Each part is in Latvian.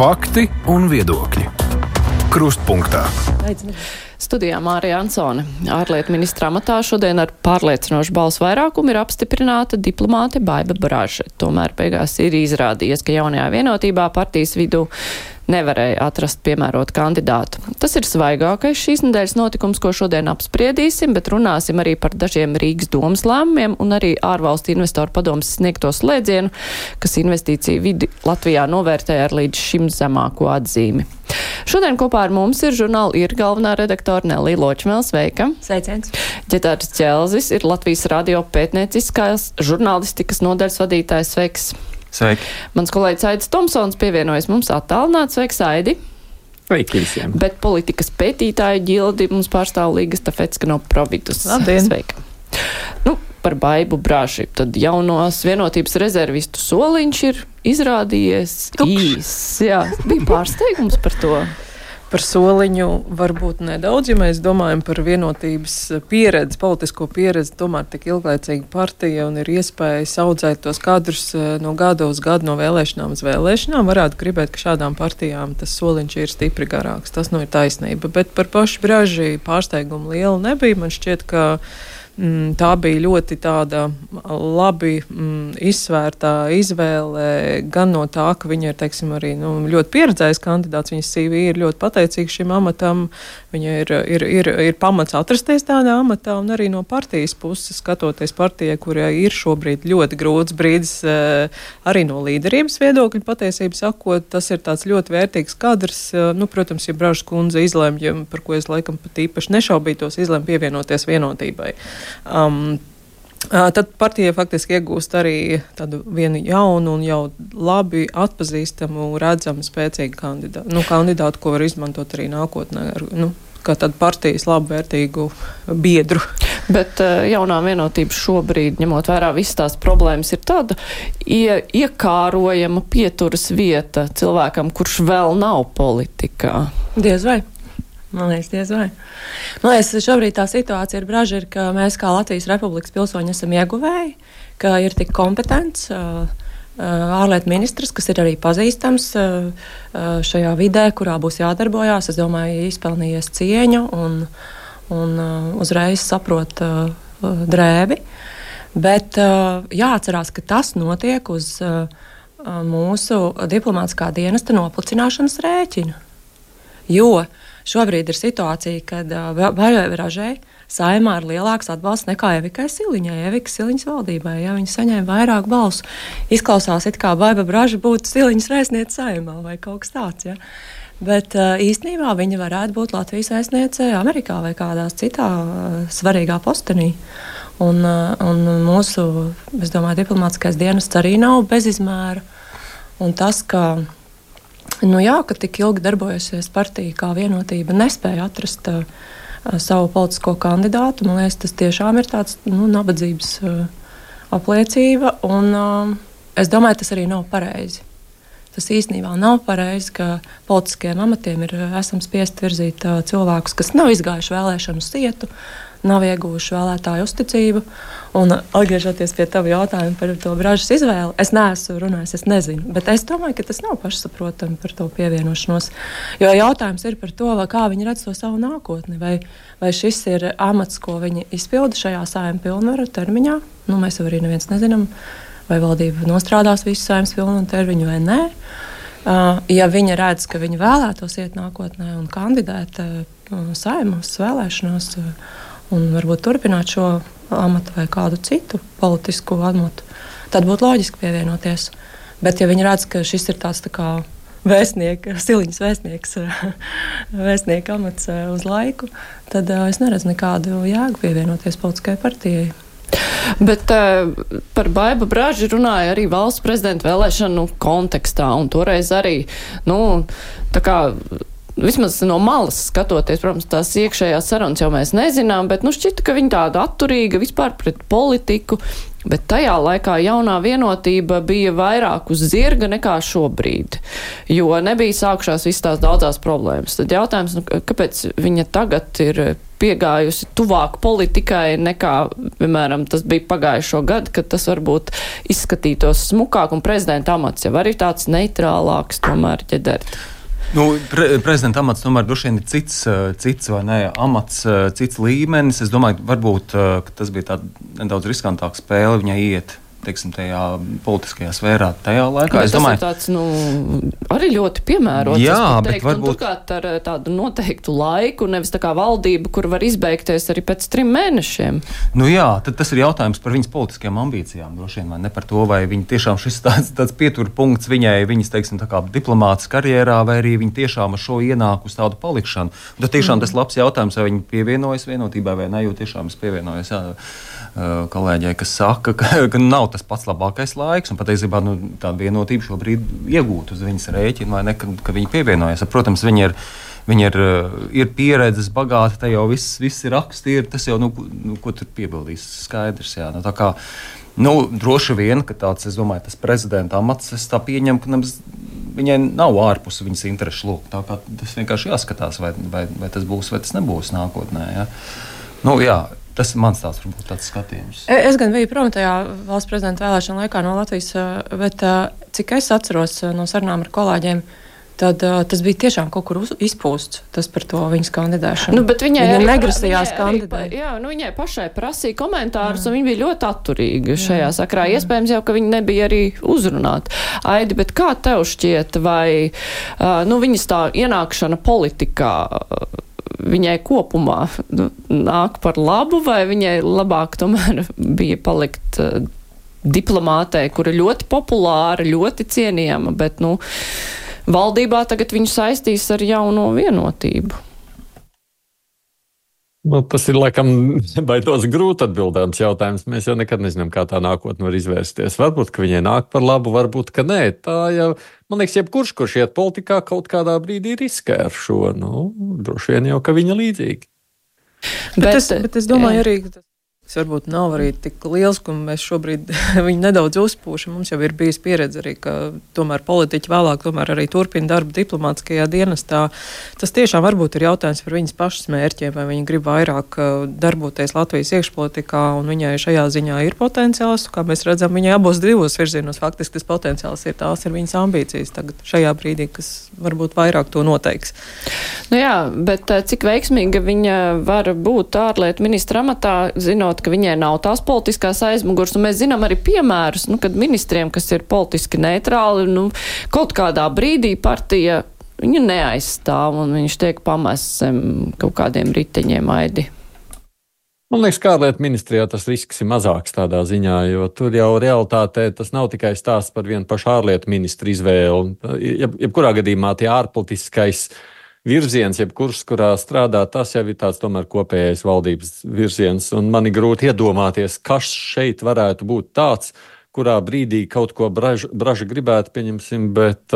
Fakti un viedokļi. Krustpunktā. Studijā Mārija Ansone. Ārlietu ministra amatā šodien ar pārliecinošu balsu vairākumu ir apstiprināta diplomāte Baiba Braže. Tomēr beigās ir izrādījies, ka jaunajā vienotībā partijas vidū nevarēja atrast piemērotu kandidātu. Tas ir svaigākais šīs nedēļas notikums, ko šodien apspriedīsim, bet runāsim arī par dažiem Rīgas domas lēmumiem un arī ārvalstu investoru padomas sniegto slēdzienu, kas investīciju vidi Latvijā novērtēja ar līdz šim zemāko atzīmi. Šodien kopā ar mums ir žurnāla ir galvenā redaktora Nelija Ločmēle. Sveika! Sveiciens! Ģetārs Ķelzis ir Latvijas radio pētnieciskās žurnālistikas nodaļas vadītājs. Sveiks! Sveiki! Mans kolēģis Aidis Tomsons pievienojas mums attālināti. Sveiks, Aidi! Sveiki visiem! Bet politikas pētītāju ģildi mums pārstāv Līga Stafecka no Providus. Labdien! Sveika! Par Baibu Braži. Tad jaunos vienotības rezervistu soliņš ir izrādījies īs. Jā, bija pārsteigums par to. Par soliņu varbūt nedaudz, ja mēs domājam par vienotības pieredzi, politisko pieredzi, tomēr tik ilglaicīga partija un ir iespējas audzēt tos kadrus no gada uz gadu, no vēlēšanām uz vēlēšanām. Varētu gribēt, ka šādām partijām tas soliņš ir stipri garāks. Tas ir taisnība. Bet par pašu Braži pārsteigumu liela nebija. Man šķiet, ka tā bija ļoti tāda labi izsvērtā izvēle gan no tā, ka viņa ir, teiksim, arī ļoti pieredzējis kandidāts, viņas CV ir ļoti pateicīgs šim amatam, viņa ir pamats atrasties tādā amatā, un arī no partijas puses, skatoties partijai, kurai ir šobrīd ļoti grūts brīdis arī no līderības viedokļa, patiesību sakot, tas ir tāds ļoti vērtīgs kadrs. Protams, ja Bražas kundze izlemj, par ko es laikam pat īpaši nešaubītos, izlemj pievienoties vienotībai. Tad partija faktiski iegūst arī tādu vienu jaunu un jau labi atpazīstamu, redzamu, spēcīgu kandidātu, ko var izmantot arī nākotnē, kā tādu partijas labvērtīgu biedru. Bet jaunā vienotība šobrīd, ņemot vērā visas tās problēmas, ir tāda iekārojama pieturas vieta cilvēkam, kurš vēl nav politikā. Diez vai. Man liekas, diez vai. Man liekas, šobrīd tā situācija ar Bražu ir, ka mēs kā Latvijas Republikas pilsoņi esam ieguvēji, ka ir tik kompetents ārlietu ministrs, kas ir arī pazīstams šajā vidē, kurā būs jādarbojās. Es domāju, izpelnījies cieņu un uzreiz saprot drēbi. Bet jāatcerās, ka tas notiek uz mūsu diplomātiskā dienesta noplicināšanas rēķina. Jo šobrīd ir situācija, kad Baibai Bražai Saeimā ir lielāks atbalsts nekā Evikai Siliņai, Evikas Siliņas valdībai. Ja viņi saņēma vairāk balsu, izklausās it kā Baiba Braža būtu Siliņas vēstniece Saeimā vai kaut kas tāds. Ja? Bet īstenībā viņa varētu būt Latvijas vēstniece Amerikā vai kādās citā svarīgā postenī. Un mūsu, es domāju, diplomātiskais dienests arī nav bez izmēra. Un tas, ka ka tik ilgi darbojusies partija kā vienotība nespēja atrast savu politisko kandidātu. Man liekas, tas tiešām ir tāds nabadzības apliecība, un es domāju, tas arī nav pareizi. Tas īstenībā nav pareizi, ka politiskiem amatiem esam spiest virzīt cilvēkus, kas nav izgājuši vēlēšanu sietu, nav ieguvuši vēlētāju uzticību. Un atgriežoties pie tava jautājuma par to Bražas izvēli, es neesmu runājis, es nezinu, bet es domāju, ka tas nav pašsaprotami par to pievienošanos. Jo jautājums ir par to, kā viņi redz to savu nākotni, vai šis ir amats, ko viņi izpilda šajā Saeimas pilnvaru termiņā. Mēs jau arī neviens nezinām, vai valdība nostrādās visu Saeimas pilnvaru termiņu vai nē. Ja viņi redz, ka viņi vēlētos iet nākotnē un kandidēt Saeimas vēlēšanās, un varbūt turpināt šo amatu vai kādu citu politisku amatu, tad būtu loģiski pievienoties. Bet ja viņi redz, ka šis ir tāds tā kā Siliņas vēstnieka amats uz laiku, tad es neredzu nekādu jēgu pievienoties politiskajai partijai. Bet par Baibu Braži runāja arī valsts prezidenta vēlēšanu kontekstā, un toreiz arī, tā kā vismaz no malas skatoties, protams, tās iekšējās sarunas jau mēs nezinām, bet šķita, ka viņa tāda atturīga vispār pret politiku, Bet tajā laikā jaunā vienotība bija vairāk uz zirga nekā šobrīd, jo nebija sākušās visas tās daudzās problēmas. Tad jautājums, kāpēc viņa tagad ir piegājusi tuvāk politikai nekā, piemēram, tas bija pagājušo gadu, kad tas varbūt izskatītos smukāk un prezidenta amats jau arī tāds neitrālāks tomēr ķedert. Prezidenta amats tomēr droši vien ir cits vai ne, amats, cits līmenis. Es domāju, varbūt tas bija tāda nedaudz riskantāka spēle viņai iet, teiksim, tajā politiskajā sfērā tajā laikā. Es domāju, tas ir tāds, arī ļoti piemērots. Jā, bet varbūt... Un turklāt ar tādu noteiktu laiku, nevis tā kā valdība, kur var izbeigties arī pēc 3 mēnešiem. Jā, tad tas ir jautājums par viņas politiskajām ambīcijām, droši vien, vai ne par to, vai viņa tiešām šis tāds pieturpunkts viņai, viņas, teiksim, tā kā diplomātas karjerā, vai arī viņa tiešām ar šo ienāk uz tādu palikšanu. Un tad tiešām tas labs jautājums, vai viņa pievienojas vienotībai vai ne, jo tiešām es pievienojos, kolēģei, kas saka, ka nav tas pats labākais laiks, un patiesībā tāda vienotība šobrīd iegūta uz viņas rēķina, vai ne, ka viņa pievienojas. Protams, viņa ir pieredzes bagāta, te jau viss ir rakstīri, tas jau, ko tur piebildīs, skaidrs, jā. Tā kā, droši vien, ka tāds, es domāju, tas prezidenta amats, es tā pieņemu, ka viņai nav ārpus viņas interešu lūk. Tā kā tas vienkārši jāskatās, vai tas būs, vai tas nebūs nākotnē, jā. Jā. Tas ir mans tāds skatījums. Es gan biju prom tajā valsts prezidenta vēlēšana laikā no Latvijas, bet cik es atceros no sarunām ar kolēģiem, tad tas bija tiešām kaut kur izpūsts, tas par to viņas kandidēšanu. Bet viņa negrasījās kandidēt. Viņai pašai prasīja komentārus, un viņa bija ļoti atturīga šajā sakrā. Iespējams jau, ka viņa nebija arī uzrunāta. Aidi, bet kā tev šķiet, vai viņas tā ienākšana politikā viņai kopumā nāk par labu, vai viņai labāk tomēr bija palikt diplomātei, kura ļoti populāra, ļoti cienījama, bet, valdībā tagad viņu saistīs ar jauno vienotību? Tas ir, laikam, baidos grūti atbildāms jautājums. Mēs jau nekad nezinām, kā tā nākotne var izvērsties. Varbūt, ka viņai nāk par labu, varbūt, ka nē. Tā jau, man liekas, kurš iet politikā, kaut kādā brīdī riskē ar šo. Droši vien jau, ka viņa līdzīgi. Bet es domāju arī, ka tas varbūt nav arī tik liels, ka mēs šobrīd viņu nedaudz uzpūšam. Mums jau ir bijis pieredze arī, ka tomēr politiķi vēlāk tomēr arī turpina darbu diplomātiskajā dienestā. Tas tiešām varbūt ir jautājums par viņas pašas mērķiem, vai viņa grib vairāk darboties Latvijas iekšpolitikā, un viņai šajā ziņā ir potenciāls. Kā mēs redzam, viņai abos divos virzienos faktiski tas potenciāls ir, tās ir viņas ambīcijas tagad šajā brīdī, kas varbūt vairāk to noteiks. Bet cik veiksmīga viņa var būt ārlietu ministra amatā, zinot, ka viņai nav tās politiskās aizmugurs, un mēs zinām arī piemērus, kad ministriem, kas ir politiski neitrāli, kaut kādā brīdī partija viņu neaizstāv, un viņš tiek pamests kaut kādiem riteņiem, Aidi. Man liekas, ka ārlietu ministrijā tas risks ir mazāks tādā ziņā, jo tur jau realitātē tas nav tikai stāsts par vienu pašu ārlietu ministru izvēli. Jebkurā gadījumā tie ārpolitiskais virziens, jebkurš, kurā strādā, tas jau ir tāds tomēr kopējais valdības virziens, un man ir grūti iedomāties, kas šeit varētu būt tāds, kurā brīdī kaut ko Braža gribētu, pieņemsim, bet,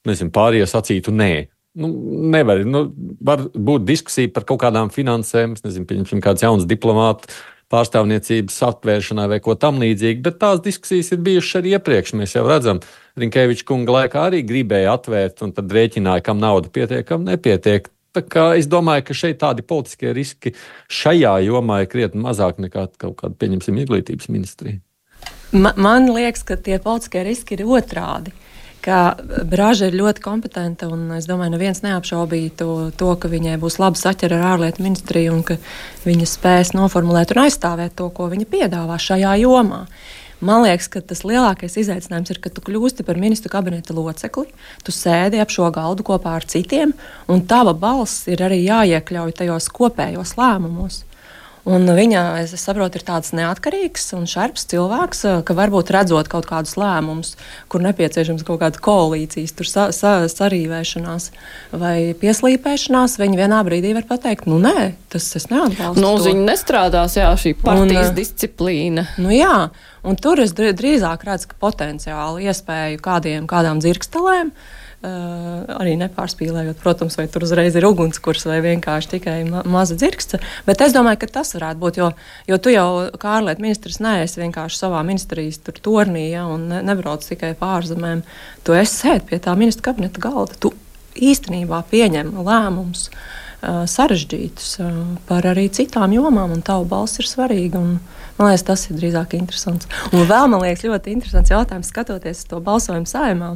pārējie sacītu nē. Nevar. Var būt diskusija par kaut kādām finansēm, pieņemsim kāds jauns diplomātu pārstāvniecības atvēršanai vai ko tam līdzīgi, bet tās diskusijas ir bijušas arī iepriekš. Mēs jau redzam, Rinkeviča kunga laikā arī gribēja atvērt un tad rēķināja, kam nauda pietiek, kam nepietiek. Tā kā es domāju, ka šeit tādi politiskie riski šajā jomā ir krietni mazāk nekā kaut kāda, pieņemsim, izglītības ministrija. Man liekas, ka tie politiskie riski ir otrādi. Ka Braža ir ļoti kompetenta, un es domāju, neviens neapšaubītu to, ka viņai būs laba saķera ar ārlietu ministriju un ka viņa spēs noformulēt un aizstāvēt to, ko viņa piedāvā šajā jomā. Man liekas, ka tas lielākais izaicinājums ir, ka tu kļūsti par ministru kabineta locekli, tu sēdi ap šo galdu kopā ar citiem, un tava balss ir arī jāiekļauj tajos kopējos lēmumos. Un viņa, es saprotu, ir tāds neatkarīgs un šarps cilvēks, ka varbūt redzot kaut kādus lēmumus, kur nepieciešams kaut kāda koalīcijas, tur sarīvēšanās vai pieslīpēšanās, viņi vienā brīdī var pateikt, nē, tas es neatbalstu. Viņa nestrādās, šī partijas disciplīna. Jā, un tur es drīzāk redzu, ka potenciāli iespēju kādām dzirkstelēm, Arī nepārspīlējot, protams, vai tur uzreiz ir ugunskurs vai vienkārši tikai maza dzirksta. Bet es domāju, ka tas varētu būt, jo tu jau kā ārlietu ministrs neesi vienkārši savā ministrijas tur tornī, ja, un nebrauc tikai pārzemēm. Tu esi sēd pie tā ministra kabineta galda. Tu īstenībā pieņem lēmumus sarežģītus par arī citām jomām, un tavu balss ir svarīga. Un, man liekas, tas ir drīzāk interesants. Un vēl, man liekas, ļoti interesants jautājums, skatoties to balsojumu Saeimā.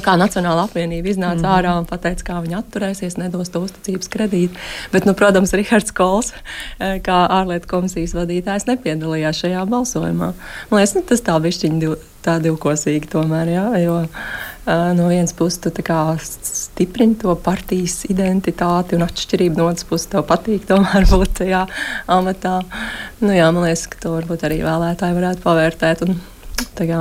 Kā Nacionāla apvienība iznāca ārā un pateica, kā viņi atturēsies, nedos to uzticības kredītu. Bet, protams, Rihards Kols, kā ārlietu komisijas vadītājs, nepiedalījās šajā balsojumā. Man liekas, tas tā bišķiņ tā divkosīgi tomēr, jā, jo no vienas puses tu tā kā stiprini to partijas identitāti un atšķirību, no otras puses tev patīk tomēr būt tajā amatā. Jā, man liekas, ka to varbūt arī vēlētāji varētu pavērtēt un tā kā.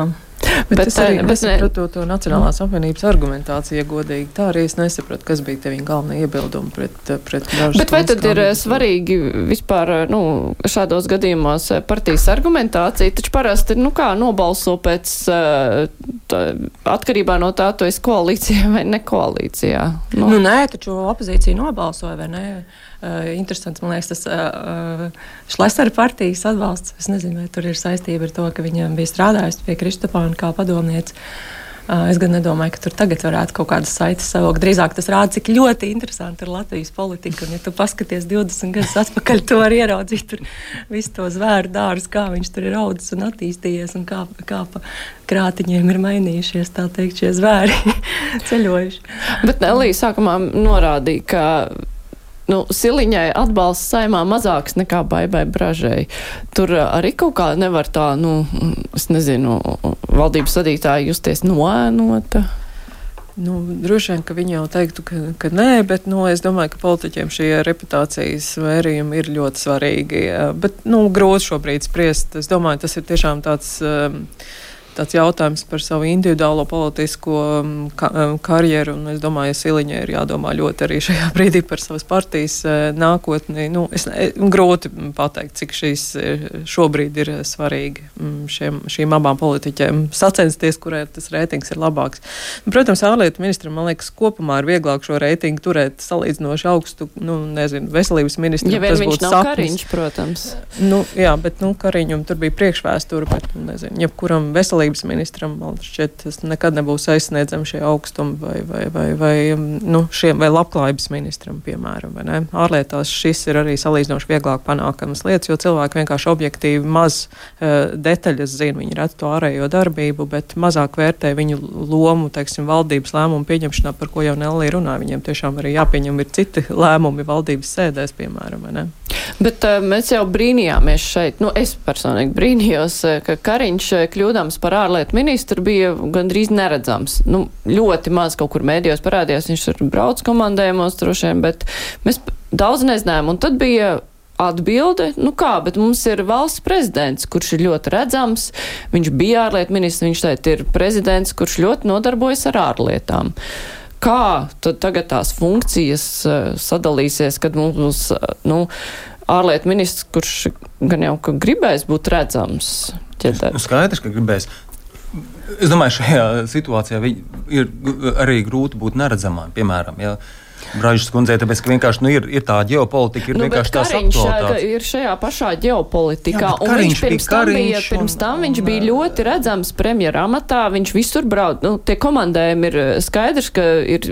Bet es arī nesapratu to Nacionālās apvienības argumentāciju, ja godīgi. Tā arī es nesapratu, kas bija te viņa galvenie iebildumi pret Bražas. Bet vai tad ir svarīgi vispār, šādos gadījumos partijas argumentācija? Taču parasti, kā nobalso pēc atkarībā no tā, tu esi koalīcijā vai ne koalīcijā? Nē, taču opozīcija nobalsoja, vai ne? Interesants, man liekas, tas Šlesera partijas atbalsts. Es nezinu, vai tur ir saistība ar to, ka viņam bija strādājusi pie Kristapāna kā padomniece. Es gan nedomāju, ka tur tagad varētu kaut kādas saites savilkt. Drīzāk tas rāda, cik ļoti interesanti ir Latvijas politika. Un, ja tu paskaties 20 gadus atpakaļ, tu vari ieraudzīt tur visu to zvēru dārzu, kā viņš tur ir audzis un attīstījies, un kā pa krātiņiem ir mainījušies, tā teikt, šie zvēri ceļojuši. Bet Elija sākumā norādīja, ka Siliņai atbalsts Saeimā mazāks nekā Baibai Bražai. Tur arī kaut kā nevar tā, es nezinu, valdības vadītāji justies noēnota. Droši vien, ka viņi jau teiktu, ka nē, bet es domāju, ka politiķiem šie reputācijas vērījumi ir ļoti svarīgi. Bet, grūti šobrīd spriest. Es domāju, tas ir tiešām tāds jautājums par savu individuālo politisko karjeru, un es domāju, ka Siliņai ir jādomā ļoti arī šajā brīdī par savas partijas nākotni. Grūti pateikt, cik šīs šobrīd ir svarīgi šīm abām politiķiem sacensties, kurai tas reitings ir labāks. Protams, ārlietu ministram, man liekas, kopumā ir vieglāk šo reitingu turēt salīdzinoši augstu, veselības ministram. Ja vien viņš nav Kariņš, protams. Jā, bet Kariņam tur bija priekšvēsture, bet, jebkuram veselības ministram, man šķiet, tas nekad nebūs aizsniedzami šie augstumi vai labklājības ministram, piemēram, vai ne? Ārlietās šis ir arī salīdzinoši vieglāk panākamas lietas, jo cilvēki vienkārši objektīvi maz detaļas zina, viņi redz to ārējo darbību, bet mazāk vērtē viņu lomu, teiksim, valdības lēmumu pieņemšanā, par ko jau Nelī runāja. Viņiem tiešām arī jāpieņem ir citi lēmumi valdības sēdēs, piemēram, vai ne? Bet mēs jau brīnījāmies šeit, es personīgi brīnījos, ka Kariņš kļūdams par ārlietu ministru bija gandrīz neredzams. Ļoti maz kaut kur mēdījos parādījās, viņš tur brauc komandējumos droši vien, bet mēs daudz nezinājām. Un tad bija atbilde, bet mums ir valsts prezidents, kurš ir ļoti redzams, viņš bija ārlietu ministrs, viņš teikt ir prezidents, kurš ļoti nodarbojas ar ārlietām. Kā tad tagad tās funkcijas sadalīsies, kad mums būs, ārlietu ministrs, kurš gan jau ka gribēs būt redzams? Skaidrs, ka gribēs. Es domāju, šajā situācijā ir arī grūti būt neredzamām, piemēram, ja Bražas kundzei, tāpēc, ka vienkārši ir tā ģeopolitika, ir vienkārši tās aktualitātes. Kariņš ir šajā pašā ģeopolitikā, un viņš pirms tam viņš bija ļoti redzams premjera amatā, viņš visur brauc. Tie komandējumi ir skaidrs, ka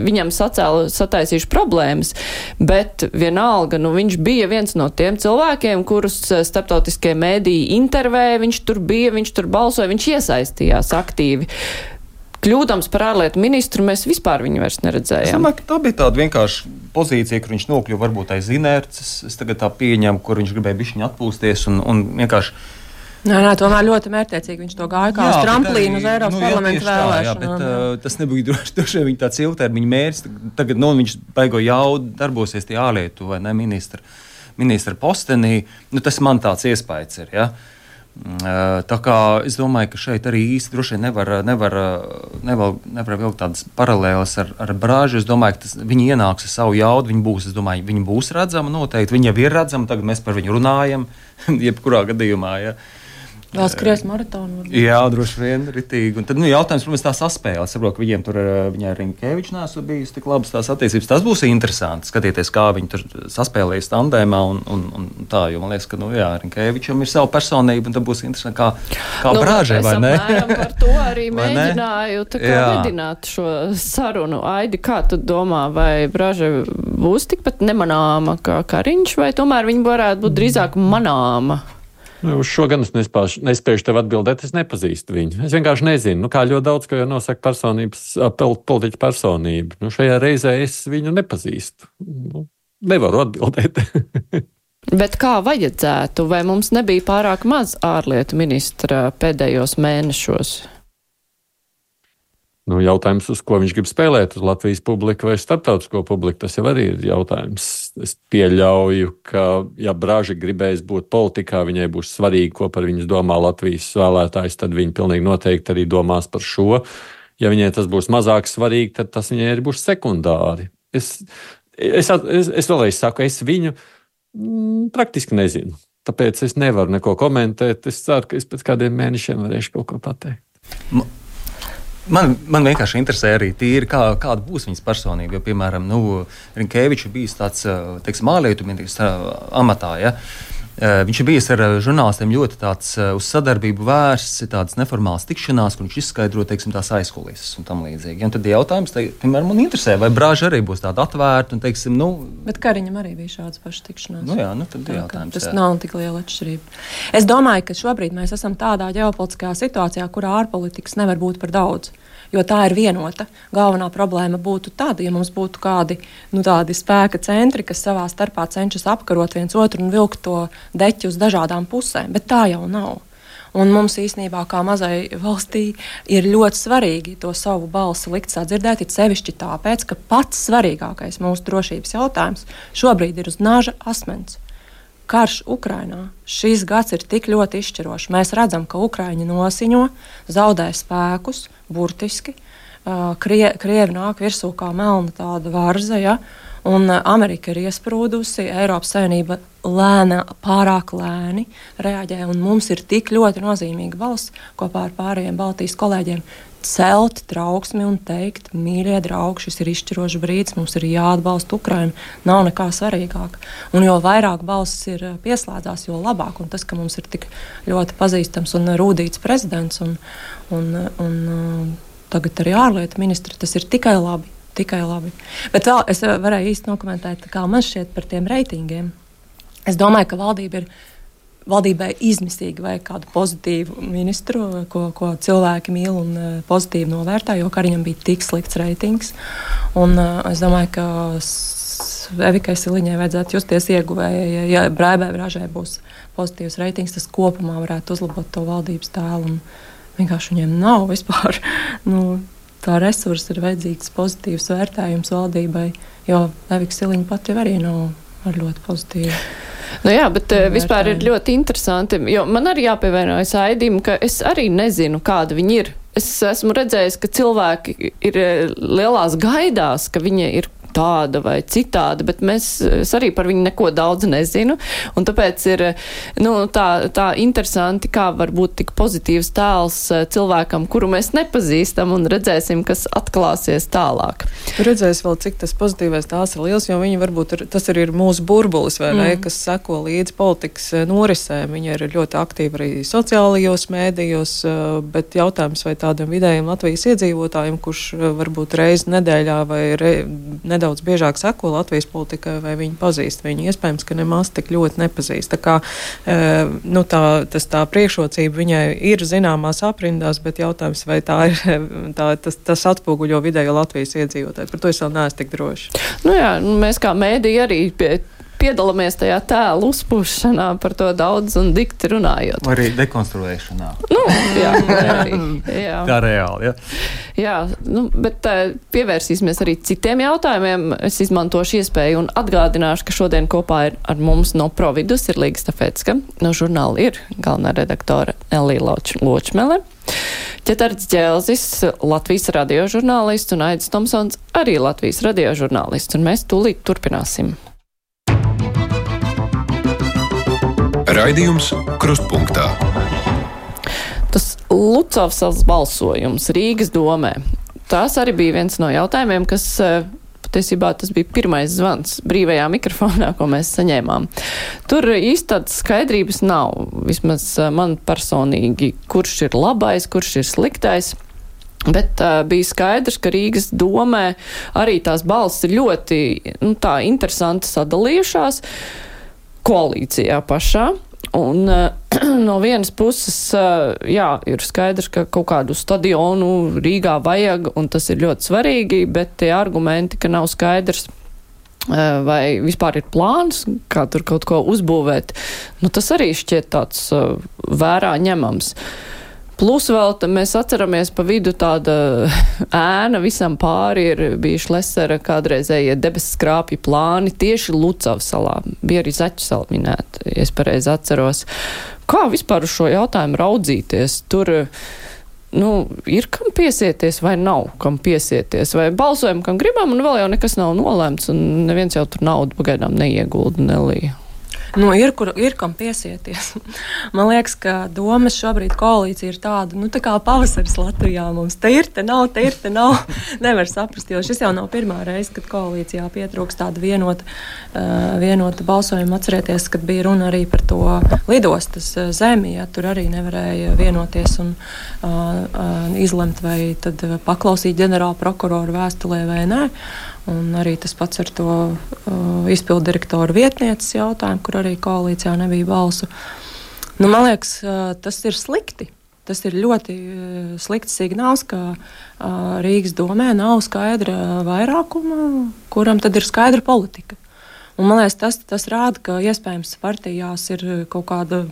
viņam sataisījuši problēmas, bet vienalga, viņš bija viens no tiem cilvēkiem, kurus starptautiskie mēdīji intervēja, viņš tur bija, viņš tur balsoja, viņš iesaistījās aktīvi. Kļūdams par ārlietu ministru, mēs vispār viņu vairs neredzējām. Es domāju, ka tā bija tāda vienkārši pozīcija, kur viņš nokļuva varbūt aiz inerces. Es tagad tā pieņemu, kur viņš gribēja bišķiņu atpūsties un vienkārši. Nē, tomēr ļoti mērķtiecīgi viņš to gāja kā uz tramplīnu uz Eiropas parlamentu vēlēšanu. Bet tas nebija droši vien tāds ilgtermiņa mērķis. Tagad viņš baigo jaudu darbosies tie ārlietu vai ne ministra postenī. Tas man tāds iespējas ir, ja. Tā kā es domāju, ka šeit arī īsti droši vien nevar vilkt tādas paralēlas ar Bražu. Es domāju, ka viņi ienāks ar savu jaudu, viņi būs redzama noteikti, viņi jau ir redzama, tagad mēs par viņu runājam, jebkurā gadījumā, ja. Vēl skries maratonu. Jā, droši vien, ritīgi. Un tad, jautājums, protams, tā saspēle. Es saprotu, ka viņiem tur, viņai ar Rinkeviču nesot bijis tik labas tās attiecības. Tas būs interesanti, skatīties, kā viņi tur saspēlējas tandēmā un tā, jo man liekas, ka, Rinkevičam ir sava personība, un tad būs interesanti, kā Brāžai, vai ne? Par to arī mēģināju medināt šo sarunu. Aidi, kā tu domā, vai Brāža būs tikpat nemanāma kā Kariņš, vai tomēr viņa varētu būt drīzāk manāma? Uz šo gan es nespēju tev atbildēt, es nepazīstu viņu. Es vienkārši nezinu, kā ļoti daudz, ko jau nosaka politiķa personība. Šajā reizē es viņu nepazīstu. Nevaru atbildēt. Bet kā vajadzētu? Vai mums nebija pārāk maz ārlietu ministra pēdējos mēnešos? Jautājums, uz ko viņš grib spēlēt, uz Latvijas publiku vai starptautisko publiku, tas jau arī ir jautājums. Es pieļauju, ka, ja Brāža gribēs būt politikā, viņai būs svarīgi, ko par viņu domā Latvijas vēlētājs, tad viņa pilnīgi noteikti arī domās par šo. Ja viņai tas būs mazāk svarīgi, tad tas viņai arī būs sekundāri. Es vēlreiz saku, es viņu praktiski nezinu. Tāpēc es nevaru neko komentēt. Es ceru, ka es pēc kādiem mēnešiem varēšu kaut ko pateikt. Man vienkārši interesē arī tīri, kāda būs viņas personība. Jo, piemēram, Rinkevičs bijis tāds, teiksim, ārlietu ministra amatā. Ja? Viņš ir bijis ar žurnālistiem ļoti tāds uz sadarbību vērsts, tādas neformālas tikšanās, kur viņš izskaidro, teiksim, tās aizkulises un tam līdzīgi. Ja? Un tad jautājums, piemēram, man interesē, vai Brāža arī būs tāda atvērta un, teiksim, Bet Kariņam arī bija šādas pašas tikšanās. Tad jautājums. Tas nav tik liela atšķirība. Es domāju, ka šobrīd mēs esam tādā ģeopolitiskā situācijā, kurā ārpolitikas nevar būt par daudz. Jo tā ir vienota. Galvenā problēma būtu tāda, ja mums būtu kādi tādi spēka centri, kas savā starpā cenšas apkarot viens otru un vilkt to deķi uz dažādām pusēm, bet tā jau nav. Un mums īstenībā, kā mazai valstī, ir ļoti svarīgi to savu balsi likt sadzirdēt, it sevišķi tāpēc, ka pats svarīgākais mūsu drošības jautājums šobrīd ir uz naža asmens. Karš Ukrainā. Šis gads ir tik ļoti izšķirošs. Mēs redzam, ka Ukraiņi nosiņo, zaudē spēkus, burtiski. Krievi nāk virsū kā melna tāda varza, ja? Un Amerika ir iesprūdusi, Eiropas Savienība pārāk lēni reaģē, un mums ir tik ļoti nozīmīga valsts kopā ar pārējiem Baltijas kolēģiem celt trauksmi un teikt, mīļie draugi, šis ir izšķirošs brīdis, mums ir jāatbalsta Ukraina, nav nekā svarīgāk. Un jo vairāk balsis ir pieslēdzās, jo labāk, un tas, ka mums ir tik ļoti pazīstams un rūdīts prezidents, un tagad arī ārlietu ministri, tas ir tikai labi. Bet vēl es varēju īsti nokomentēt, kā man šķiet par tiem reitingiem. Es domāju, ka valdībai izmisīgi vajag kādu pozitīvu ministru, ko cilvēki mīl un pozitīvi novērtē, jo Kariņam bija tik slikts reitings. Un es domāju, ka Evikai Siliņai vajadzētu justies ieguvēja. Ja Brāžai būs pozitīvs reitings, tas kopumā varētu uzlabot to valdības tēlu. Un vienkārši viņiem nav vispār tā resursa, ir vajadzīgs pozitīvs vērtējums valdībai, jo Evika Siliņa pat jau arī nav ar ļoti pozitīvu. Jā, bet vispār ir ļoti interesanti, jo man arī jāpievienojas Aidim, ka es arī nezinu, kāda viņi ir. Es esmu redzējis, ka cilvēki ir lielās gaidās, ka viņi ir tāda vai citāda, bet es arī par viņu neko daudz nezinu, un tāpēc ir tā interesanti, kā var būt tik pozitīvs tēls cilvēkam, kuru mēs nepazīstam, un redzēsim, kas atklāsies tālāk. Redzēs vēl, cik tas pozitīvais tēls ir liels, jo viņi varbūt tas arī ir mūsu burbulis, vai ne, kas seko līdz politikas norisēm. Viņi ir ļoti aktīvi arī sociālajos mēdījos, bet jautājums, vai tādam vidējiem Latvijas iedzīvotājiem, kurš varbūt reizi nedēļā vai nedaudz biežāk seko Latvijas politikai, vai viņi pazīst viņu. Iespējams, ka nemaz tik ļoti nepazīst. Tā kā tā priekšrocība viņai ir zināmās aprindās, bet jautājums, vai tas atspoguļo vidējo Latvijas iedzīvotāju. Par to es vēl neesmu tik droši. Mēs kā mēdī arī piedalāmies tajā tēlu uzpūšanā, par to daudz un dikti runājot. Vai arī dekonstruēšanā. Jā. Tā reāli, ja. Jā, bet pievērsīsimies arī citiem jautājumiem. Es izmantošu iespēju un atgādināšu, ka šodien kopā ir ar mums no Providus ir Līga Stafecka, no žurnāla ir galvenā redaktore Elija Ločmele, Ķetards Ģelzis, Latvijas radiožurnālists, un Aidis Tomsons, arī Latvijas radiožurnālists, un mēs tūlīt turpināsim. Raidījums Krustpunktā. Lucavsalas balsojums Rīgas domē. Tās arī bija viens no jautājumiem, kas patiesībā tas bija pirmais zvans brīvajā mikrofonā, ko mēs saņēmām. Tur īsti tādas skaidrības nav, vismaz man personīgi, kurš ir labais, kurš ir sliktais. Bet bija skaidrs, ka Rīgas domē arī tās balsis ir ļoti tā interesanti sadalījušās koalīcijā pašā. Un no vienas puses, ir skaidrs, ka kaut kādu stadionu Rīgā vajag, un tas ir ļoti svarīgi, bet tie argumenti, ka nav skaidrs, vai vispār ir plāns, kā tur kaut ko uzbūvēt, tas arī šķiet tāds vērā ņemams. Plus vēl mēs atceramies pa vidu tāda ēna visam pāri ir bijuši Lesera kādreizējie debesu skrāpju plāni tieši Lucavsalā. Bija arī Zaķusala minēta, ja es pareizi atceros. Kā vispār uz šo jautājumu raudzīties? Tur, ir kam piesieties vai nav kam piesieties? Vai balsojam, kam gribam, un vēl jau nekas nav nolēmts, un neviens jau tur naudu pagaidām neiegulda nelīja. Ir kam piesieties. Man liekas, ka domas šobrīd koalīcija ir tāda, tā kā pavasaris Latvijā mums. Te ir, te nav. Nevar saprast, jo šis jau nav pirmā reize, kad koalīcijā pietrūks tāda vienota balsojuma. Atcerieties, kad bija runa arī par to lidostas zemi, tur arī nevarēja vienoties un izlemt, vai tad paklausīt ģenerāla prokuroru vēstulē vai nē. Un arī tas pats ar to izpildu direktoru vietnieces jautājumu, kur arī koalīcijā nebija balsu. Man liekas, tas ir slikti. Tas ir ļoti slikts signāls, ka Rīgas domē nav skaidra vairākuma, kuram tad ir skaidra politika. Un man liekas, tas rāda, ka iespējams partijās ir kaut kāda,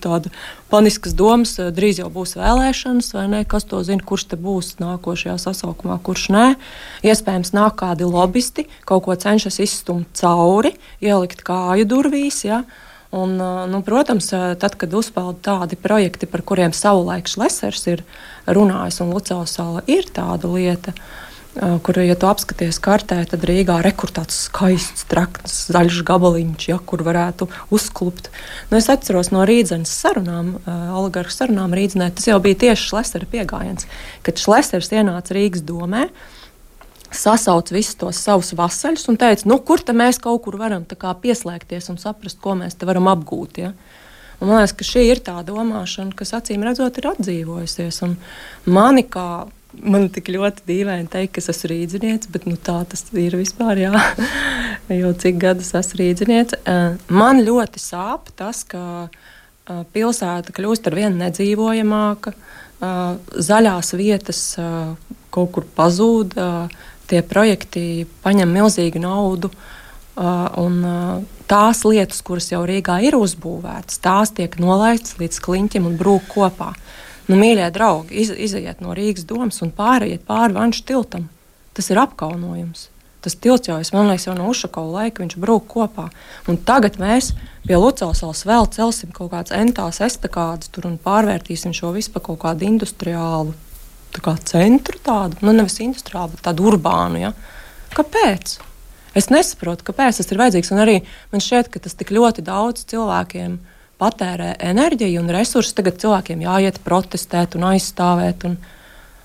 tāda paniskas domas, drīz jau būs vēlēšanas, vai ne, kas to zina, kurš te būs nākošajā sasaukumā, kurš nē. Iespējams nāk kādi lobisti, kaut ko cenšas izstumt cauri, ielikt kāju durvīs, ja. Un, protams, tad, kad uzpeld tādi projekti, par kuriem savulaik Lesers ir runājis, un Lucavsala ir tāda lieta, kur, ja tu apskaties kartē, tad Rīgā rekur tāds skaists, trakts, zaļš gabaliņš, kur varētu uzklupt. Es atceros no Rīdzenes sarunām, oligarhu sarunām Rīdzenē, tas jau bija tieši Lesera piegājiens, kad Lesers ienāca Rīgas domē, sasauc visus tos savus vasaļus un teica, kur te mēs kaut kur varam tā kā pieslēgties un saprast, ko mēs te varam apgūt, ja? Un man liekas, ka šī ir tā domāšana, kas acīm redzot ir atdzīvojusies. Un man tik ļoti dīvaini teikt, ka es esmu rīdziniece, bet tā tas ir vispār, jā. Jo cik gadus esmu rīdziniece. Man ļoti sāp tas, ka pilsēta kļūst ar vien nedzīvojamāka, zaļās vietas kaut kur pazūd, tie projekti paņem milzīgu naudu, un tās lietas, kuras jau Rīgā ir uzbūvētas, tās tiek nolaistas līdz kliņķim un brūk kopā. Mīļie draugi, izejiet no Rīgas domas un pāriet pāri Vanšu tiltam. Tas ir apkaunojums. Tas tilts jau, man liekas, jau no Ušakova laika viņš brūk kopā. Un tagad mēs pie Lucavsalas vēl celsim kaut kādas entās estakādas tur un pārvērtīsim šo visu pa kaut kādu industriālu centru tādu. Nevis industriālu, bet tādu urbānu, ja. Kāpēc? Es nesaprotu, kāpēc tas ir vajadzīgs. Un arī man šķiet, ka tas tik ļoti daudz cilvēkiem patērē enerģiju un resursus, tagad cilvēkiem jāiet protestēt un aizstāvēt.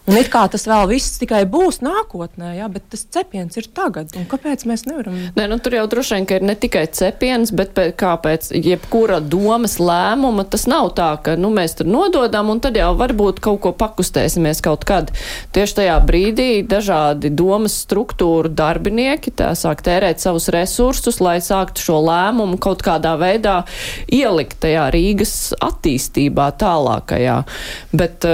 Un it kā tas vēl viss tikai būs nākotnē, ja, bet tas cepiens ir tagad. Un kāpēc mēs nevaram? Tur jau droši vien, ka ir ne tikai cepiens, bet kāpēc jebkura domas lēmuma, tas nav tā, ka mēs tur nododam un tad jau varbūt kaut ko pakustēsimies kaut kad. Tieši tajā brīdī dažādi domas struktūru darbinieki tā sāk tērēt savus resursus, lai sāktu šo lēmumu kaut kādā veidā ielikt tajā Rīgas attīstībā tālākajā. Bet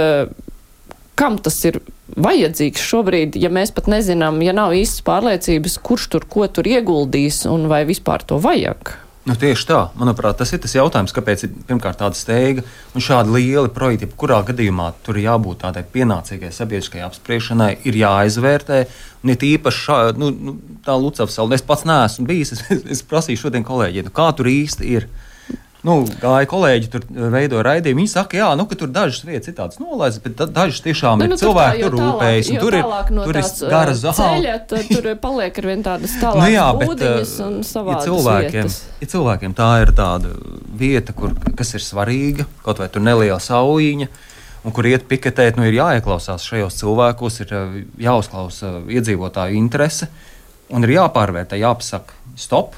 kam tas ir vajadzīgs šobrīd, ja mēs pat nezinām, ja nav īstas pārliecības, kurš tur ko tur ieguldīs un vai vispār to vajag? Tieši tā. Manuprāt, tas ir tas jautājums, kāpēc ir pirmkārt tāda steiga un šādi lieli projekti, kurā gadījumā tur ir jābūt tādai pienācīgai sabiedriskai apspriešanai, ir jāizvērtē. Un ir īpaši tā Lucavsala. Es pats neesmu bijis, es prasīju šodien kolēģiem, kā tur īsti ir. Gāja kolēģi, tur veidoja raidījumu. Viņi saka, ka tur dažas vietas ir tādas nolaistas, bet dažas tiešām ir cilvēki, tur rūpējas. Tur ir gara zāle. Tur paliek ar vien tādas tālākas būdiņas un savādas vietas. Ja cilvēkiem tā ir tāda vieta, kas ir svarīga, kaut vai tur neliela saujiņa, un kur iet piketēt, ir jāieklausās šajos cilvēkos, ir jāuzklausa iedzīvotāju interese, un ir jāpārvērtē, jāpasaka stop,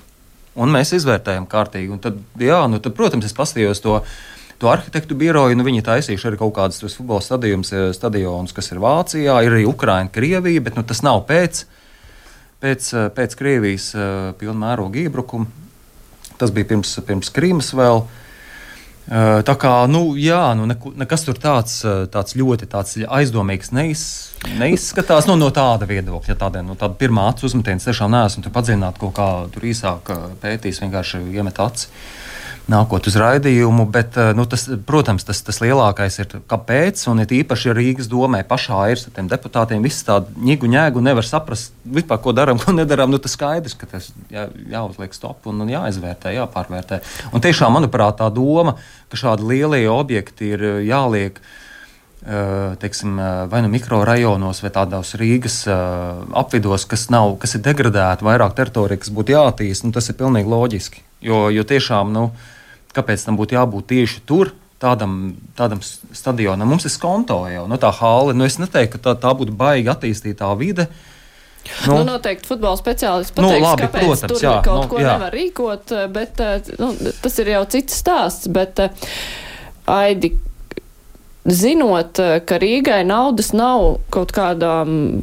un mēs izvērtējam kārtīgi. Un tad, tad, protams, es paskatījos to arhitektu biroju, viņi taisījuši arī kaut kādus futbola stadionus, kas ir Vācijā, ir arī Ukraina, Krievija, bet tas nav pēc Krievijas pilna mēroga iebrukuma. Tas bija pirms Krīmas vēl. Tā kā, nekas tur tāds ļoti aizdomīgs neizskatās no tāda viedokļa. Tāda pirmā acu uzmetiens tiešām neesmu tur padziļināt kaut kā tur īsāk pētījis, vienkārši iemet aci nākot uz raidījumu, bet, protams, tas lielākais ir kāpēc, un it īpaši Rīgas domē pašā ir ar tiem deputātiem, viss tādu ņēgu nevar saprast, vispār, ko darām, ko nedarām, tas skaidrs, ka tas jāuzliek stop un jāizvērtē, jāpārvērtē. Un tiešām, manuprāt, tā doma, ka šādi lielie objekti ir jāliek, teiksim, vai mikrorajonos vai tādos Rīgas apvidos, kas ir degradēti, vairāk teritorija, kas būtu jātīst, tas ir pilnīgi loģiski. Jo tiešām, kāpēc tam būtu jābūt tieši tur, tādam stadionam? Mums ir Skonto jau, tā hāle. Es neteiktu, ka tā būtu baigi attīstītā vide. Noteikti futbola speciālists pateiks, labi, kāpēc protams, tur kaut ko nevar rīkot, bet tas ir jau cits stāsts. Bet, Aidi, zinot, ka Rīgai naudas nav kaut kādām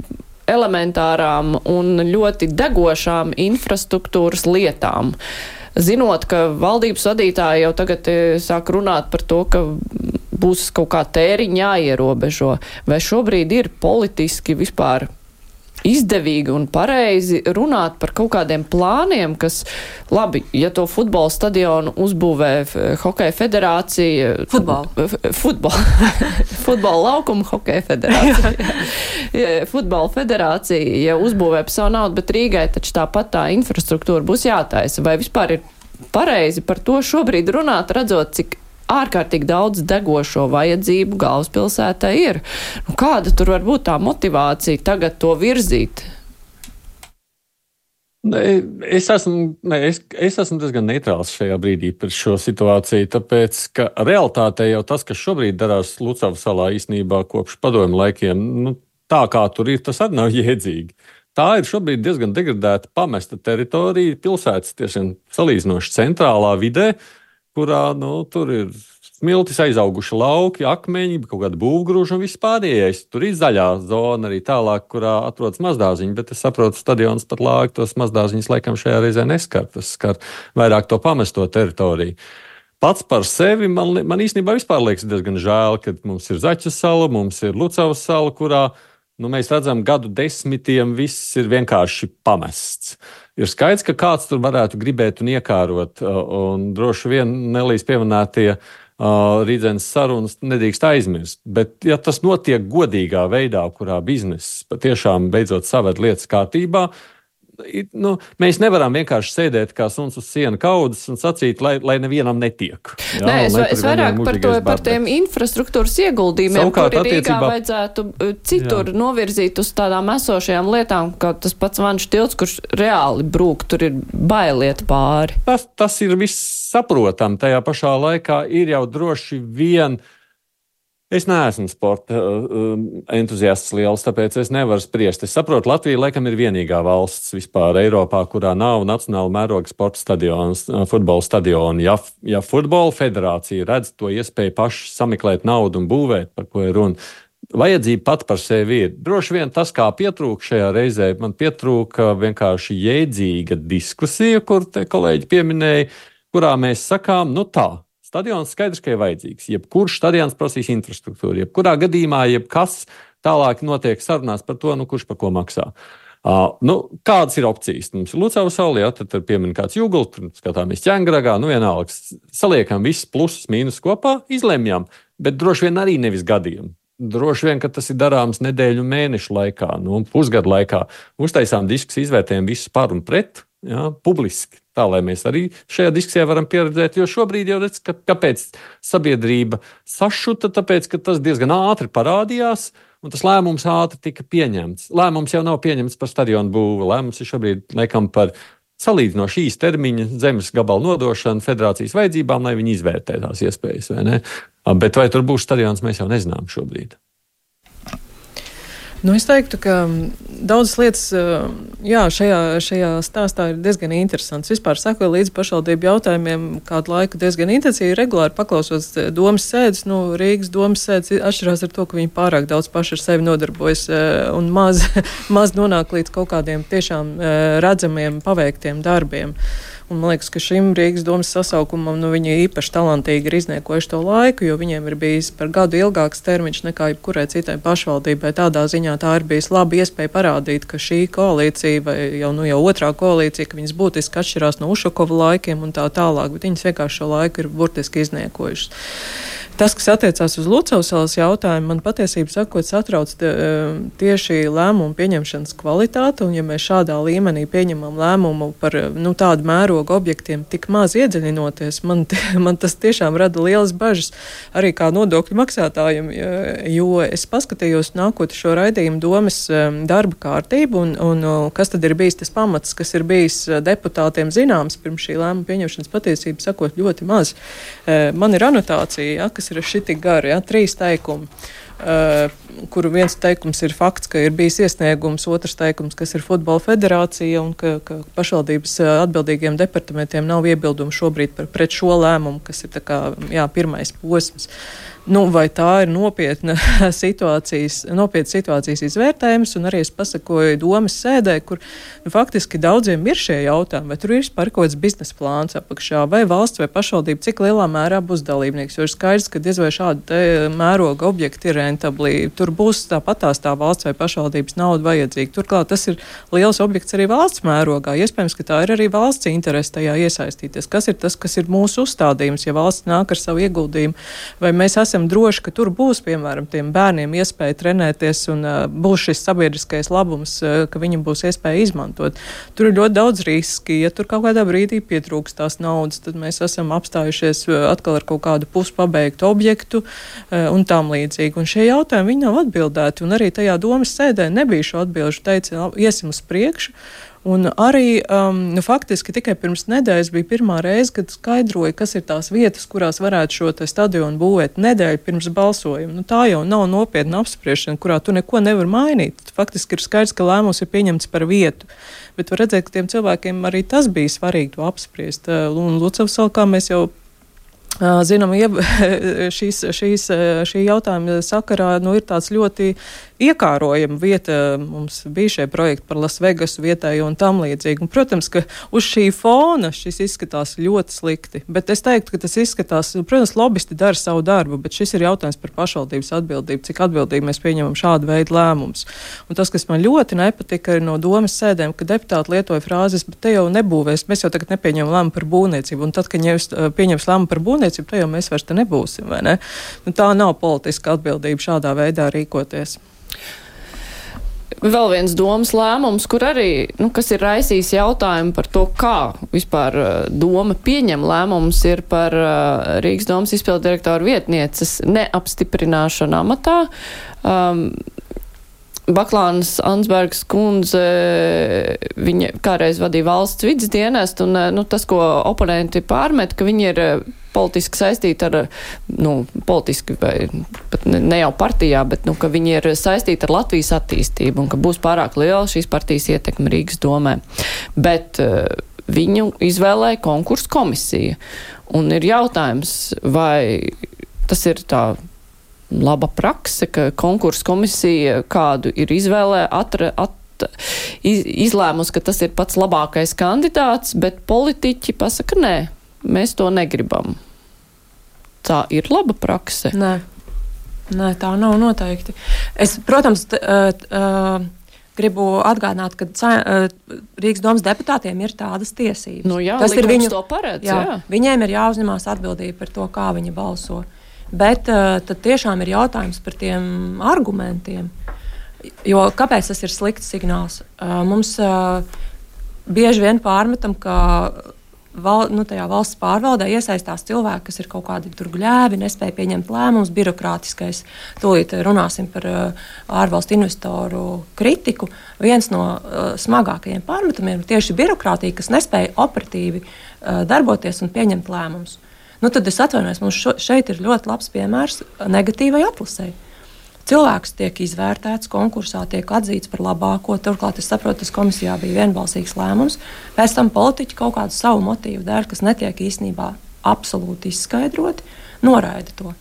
elementārām un ļoti degošām infrastruktūras lietām, zinot, ka valdības vadītāji jau tagad sāk runāt par to, ka būs kaut kā tēriņi jāierobežo, vai šobrīd ir politiski vispār izdevīgi un pareizi runāt par kaut kādiem plāniem, kas, labi, ja to futbola stadionu uzbūvē Hokeja federācija... Futbola laukuma Hokeja federācija. Futbola federācija, ja uzbūvē par savu naudu, bet Rīgai taču tāpat tā infrastruktūra būs jātaisa. Vai vispār ir pareizi par to šobrīd runāt, redzot, cik ārkārtīgi daudz degošo vajadzību galvaspilsētai ir? Kāda tur var būt tā motivācija tagad to virzīt? Es esmu diezgan neitrāls šajā brīdī par šo situāciju, tāpēc, ka realitātē jau tas, kas šobrīd darās Lucavas salā īstenībā kopš padomju laikiem, tā kā tur ir, tas arī nav jēdzīgi. Tā ir šobrīd diezgan degradēta, pamesta teritorija, pilsētas tiešām salīdzinoši centrālā vidē, kurā tur ir smiltis aizauguši lauki, akmeņi, kaut kāda būvgrūža un viss pārējais. Tur ir zaļā zona arī tālāk, kurā atrodas mazdārziņi, bet es saprotu, stadions pat lāgi tos mazdārziņus laikam šajā reizē neskar. Tas skar vairāk to pamesto teritoriju. Pats par sevi man īstenībā vispār liekas diezgan žēl, ka mums ir Zaķas sala, mums ir Lucavas sala, kurā mēs redzam, gadu desmitiem viss ir vienkārši pamests. Ir skaidrs, ka kāds tur varētu gribēt un iekārot, un droši vien Nelijas pieminētie Rīdzenes sarunas nedrīkst aizmirst. Bet, ja tas notiek godīgā veidā, kurā bizness patiešām beidzot saved lietas kārtībā, mēs nevaram vienkārši sēdēt kā suns uz siena kaudzes un sacīt, lai nevienam netiek. Jā, nē, es vairāk par tiem infrastruktūras ieguldījumiem, kuri Rīgā vajadzētu citur novirzīt uz tādām esošajām lietām, kā tas pats Vanšu tilts, kurš reāli brūk, tur ir bailiet pāri. Tas ir viss saprotam. Tajā pašā laikā ir jau droši vien. Es neesmu sporta entuziasts liels, tāpēc es nevaru spriest. Es saprotu, Latvija laikam ir vienīgā valsts vispār Eiropā, kurā nav nacionāla mēroga sporta stadions, futbola stadioni. Ja futbola federācija redz to iespēju paši sameklēt naudu un būvēt, par ko ir runa, vajadzība pat par sevi ir. Droši vien tas, kā pietrūka šajā reizē, man pietrūka vienkārši jēdzīga diskusija, kur te kolēģi pieminēja, kurā mēs sakām, tā. Stadions skaidrs, ka ir vajadzīgs. Jebkurš stadions prasīs infrastruktūru. Jebkurā gadījumā, jebkas tālāk notiek sarunās par to, kurš par ko maksā. Kādas ir opcijas? Mums ir Lucavas sala, tad piemin kāds Jūgls, tur skatāmies Ķengragā, vienalga. Saliekam visus plusus, mīnus kopā, izlemjam, bet droši vien arī nevis gadiem. Droši vien, ka tas ir darāms nedēļu mēnešu laikā, pusgadu laikā. Uztaisām diskusiju, izvērtējam visus par un pret, publiski. Tā, lai mēs arī šajā diskusijā varam pieredzēt, jo šobrīd jau redz, kāpēc sabiedrība sašuta, tāpēc, ka tas diezgan ātri parādījās, un tas lēmums ātri tika pieņemts. Lēmums jau nav pieņemts par stadionu būvu, lēmums ir šobrīd, laikam, par salīdzinoši īsa termiņa zemes gabalu nodošanu federācijas vajadzībām, lai viņi izvērtē tās iespējas, vai ne? Bet vai tur būs stadions, mēs jau nezinām šobrīd. Nu, es teiktu, ka daudzas lietas šajā stāstā ir diezgan interesants. Vispār sekoju līdzi pašvaldību jautājumiem kādu laiku diezgan intensīvi, regulāri paklausos domas sēdes. Rīgas domas sēdes atšķirās ar to, ka viņi pārāk daudz paši ar sevi nodarbojas un maz nonāk līdz kaut kādiem tiešām redzamiem, paveiktiem darbiem. Un man liekas, ka šim Rīgas domas sasaukumam viņi īpaši talantīgi ir izniekojuši to laiku, jo viņiem ir bijis par gadu ilgāks termiņš nekā jebkurai citai pašvaldībai. Tādā ziņā tā ir bijis laba iespēja parādīt, ka šī koalīcija vai jau otrā koalīcija, ka viņas būtiski atšķirās no Ušakova laikiem un tā tālāk, bet viņas vienkārši šo laiku ir burtiski izniekojušas. Tas, kas attiecās uz Lucavsalas jautājumu, man patiesībā sakot satrauc tieši lēmumu pieņemšanas kvalitāte, un ja mēs šādā līmenī pieņemam lēmumu par tādu mērogu objektiem tik maz iedziļinoties, man tas tiešām rada lielas bažas arī kā nodokļu maksātājiem, jo es paskatījos nākot šo raidījumu domas darba kārtību, un kas tad ir bijis tas pamats, kas ir bijis deputātiem zināms pirms šī lēmuma pieņemšanas patiesība sakot ļoti maz. Man ir anotācija, kas ir šitik gari, 3 teikumi, kuru viens teikums ir fakts, ka ir bijis iesniegums, otrs teikums, kas ir Futbola federācija un ka pašvaldības atbildīgiem departamentiem nav iebildumu šobrīd pret šo lēmumu, kas ir pirmais posms. Vai tā ir nopietna situācijas izvērtējums, un arī es pasakoju domas sēdē, kur faktiski daudziem ir šie jautājumi, vai tur ir par kaut kāds biznesa plāns apakšā, vai valsts vai pašvaldība, cik lielā mērā būs dalībnieks, jo ir skaidrs, ka diez vai šādi mēroga objekti ir rentabli, tur būs tāpatās tā valsts vai pašvaldības nauda vajadzīga. Turklāt tas ir liels objekts arī valsts mērogā, iespējams, ka tā ir arī valsts interese tajā iesaistīties. Kas ir tas, kas ir mūsu uzstādījums, ja valsts nāk ar savu ieguldījumu, vai mēs esam droši, ka tur būs, piemēram, tiem bērniem iespēja trenēties un būs šis sabiedriskais labums, ka viņam būs iespēja izmantot. Tur ir ļoti daudz riski. Ja tur kaut kādā brīdī pietrūks tās naudas, tad mēs esam apstājušies atkal ar kaut kādu puspabeigtu objektu un tam līdzīgi. Un šie jautājumi viņi nav atbildēti. Un arī tajā domas sēdē nebija šo atbilžu, teica, iesim uz priekšu. Un arī faktiski tikai pirms nedēļas bija pirmā reize, kad skaidroja, kas ir tās vietas, kurās varētu šo stadionu būvēt nedēļu pirms balsojuma. Tā jau nav nopietna apspriešana, kurā tu neko nevar mainīt. Faktiski ir skaidrs, ka lēmums ir pieņemts par vietu. Bet var redzēt, ka tiem cilvēkiem arī tas bija svarīgi to apspriest. Un Lucavsalā, kā mēs jau zinām, šī jautājuma sakarā ir tāds ļoti iekārojama vieta. Mums bija šie projekti par Las Vegasu vietējo un tam līdzīgi. Un, protams, ka uz šī fona šis izskatās ļoti slikti. Bet es teiktu, ka tas izskatās, protams, lobbyisti dara savu darbu, bet šis ir jautājums par pašvaldības atbildību, cik atbildīgi mēs pieņemam šādu veidu lēmumus. Un tas, kas man ļoti nepatika, ir no domas sēdēm, ka deputāti lietoja frāzes, bet te jau nebūvēs, mēs jau tagad nepieņemam lēmumu par būvniecību. Un tad, kad pieņems lēmumu par būvniecību, te jau mēs vairs te nebūsim, vai ne? Tā nav politiska atbildība šādā veidā rīkoties. Vēl viens domas lēmums, kur arī, kas ir raisījis jautājumu par to, kā vispār doma pieņem lēmumus, ir par Rīgas domas izpildu direktoru vietnieces neapstiprināšanu amatā. Baklānas Ansbergas kundze, viņa kādreiz vadīja valsts vides dienestu, un tas, ko oponenti pārmet, ka viņi ir politiski saistīti ar, politiski vai pat ne jau partijā, bet, ka viņi ir saistīti ar Latvijas attīstību un ka būs pārāk liela šīs partijas ietekme Rīgas domē. Bet viņu izvēlēja konkursu komisija. Un ir jautājums, vai tas ir tā laba prakse, ka konkursu komisija kādu ir izlēmusi, ka tas ir pats labākais kandidāts, bet politiķi pasaka, nē, mēs to negribam. Tā ir laba prakse? Nē, tā nav noteikti. Es, protams, gribu atgādināt, ka Rīgas domas deputātiem ir tādas tiesības. Tas ir viņu to paredz, jā. Viņiem ir jāuzņemās atbildība par to, kā viņi balso. Bet tad tiešām ir jautājums par tiem argumentiem. Jo kāpēc tas ir slikts signāls? Mums bieži vien pārmetam, ka tajā valsts pārvaldē iesaistās cilvēki, kas ir kaut kādi tur gļēvi, nespēja pieņemt lēmumus, birokrātiskais. Tūlīt runāsim par ārvalstu investoru kritiku. Viens no smagākajiem pārmetumiem ir tieši birokrātija, kas nespēja operatīvi darboties un pieņemt lēmumus. Nu, tad es atvainojos, mums šeit ir ļoti labs piemērs negatīvai atlasei. Cilvēks tiek izvērtēts konkursā, tiek atzīts par labāko. Turklāt es saprotu, tas komisijā bija vienbalsīgs lēmums. Pēc tam politiķi kaut kādu savu motīvu dēļ, kas netiek īstenībā absolūti izskaidroti, noraida to.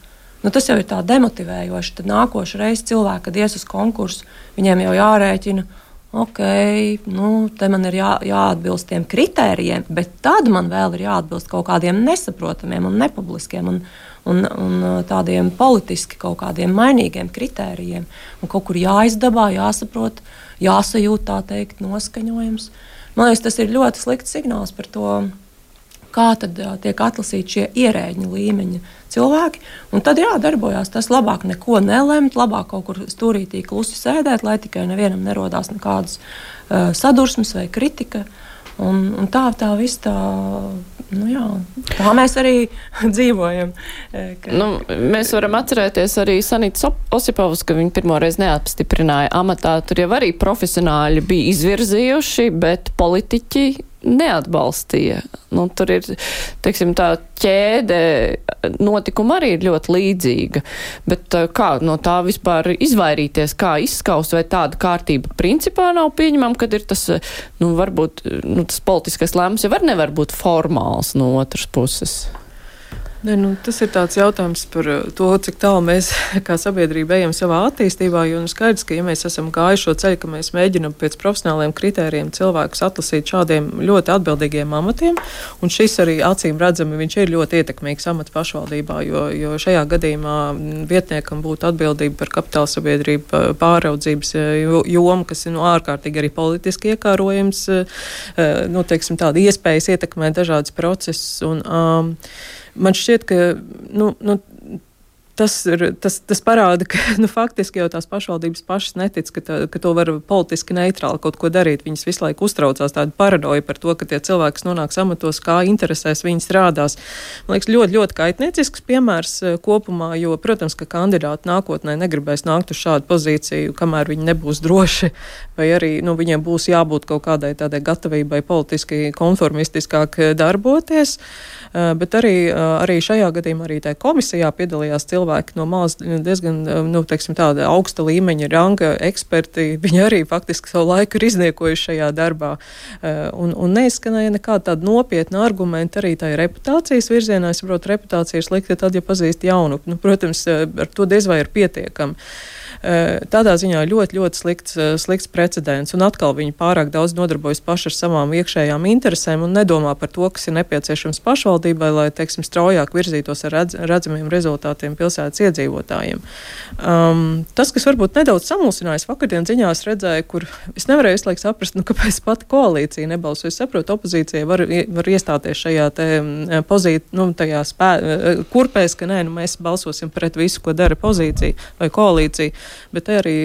Nu, tas jau ir tā demotivējoši. Tad nākošu reizi cilvēki, kad ies uz konkursu, viņiem jau jārēķina, ok, te man ir jāatbilst tiem kritērijiem, bet tad man vēl ir jāatbilst kaut kādiem nesaprotamiem un nepubliskiem un tādiem politiski kaut kādiem mainīgiem kritērijiem. Un kaut kur jāizdabā, jāsaprot, jāsajūt, tā teikt, noskaņojums. Man liekas, tas ir ļoti slikts signāls par to, kā tad tiek atlasīti šie ierēģņa līmeņa cilvēki. Un tad darbojās tas labāk neko nelemt, labāk kaut kur stūrītī klusi sēdēt, lai tikai nevienam nerodās nekādas sadursmes vai kritika. Un tā viss tā mēs arī dzīvojam. Mēs varam atcerēties arī Sanitas Osipovas, ka viņi pirmoreiz neapstiprināja amatā. Tur jau arī profesionāļi bija izvirzījuši, bet politiķi neatbalstīja. Tur ir, teiksim, tā ķēde notikuma arī ir ļoti līdzīga. Bet kā no tā vispār izvairīties, kā izskaust, vai tāda kārtība principā nav pieņemama, kad ir tas, varbūt, tas politiskais lēmums jau nevar būt formāls no otras puses? Tas ir tāds jautājums par to, cik tālu mēs kā sabiedrība ejam savā attīstībā, jo skaidrs, ka ja mēs esam gājuši šo ceļu, ka mēs mēģinam pēc profesionāliem kritērijiem cilvēkus atlasīt šādiem ļoti atbildīgiem amatiem, un šis arī acīm redzami, viņš ir ļoti ietekmīgs amats pašvaldībā, jo šajā gadījumā vietniekam būtu atbildība par kapitāla sabiedrību pāraudzības jomu, kas ir ārkārtīgi arī politiski iekārojams, teiksim, tāda iespējas ietekmēt dažādas procesus, un man šķiet, ka tas parāda, ka faktiski jau tās pašvaldības pašas netic, ka to var politiski neitrāli kaut ko darīt. Viņas visu laiku uztraucās tādu paranoju par to, ka tie cilvēki, kas nonāks amatos, kā interesēs viņi strādās. Man liekas, ļoti, ļoti kaitniecisks piemērs kopumā, jo, protams, ka kandidāti nākotnē negribēs nākt uz šādu pozīciju, kamēr viņi nebūs droši, vai arī viņiem būs jābūt kaut kādai tādai gatavībai politiski konformistiskāk darboties. Bet arī šajā gadījumā arī tajā komisijā piedalījās cilvēki no malas diezgan, teiksim, tāda augsta līmeņa ranga eksperti. Viņi arī faktiski savu laiku ir izniekojuši šajā darbā. Un neizskanēja nekāda tāda nopietna argumenta arī tajā reputācijas virzienā. Es saprotu, reputācija ir slikta tad, ja pazīst jaunu. Protams, ar to diez vai ir pietiekami. Tādā ziņā ļoti, ļoti slikts precedents, un atkal viņi pārāk daudz nodarbojas paši ar savām iekšējām interesēm un nedomā par to, kas ir nepieciešams pašvaldībai, lai, teiksim, straujāk virzītos ar redzamiem rezultātiem pilsētas iedzīvotājiem. Tas, kas varbūt nedaudz samulsinājis, vakardien ziņās redzēju, kur es nevarēju visu laiku saprast, kāpēc pati koalīcija nebalso. Es saprotu, opozīcija var iestāties šajā tajā kurpēs, ka mēs balsosim pret visu, ko dara pozīcija vai koalīcija. Bet arī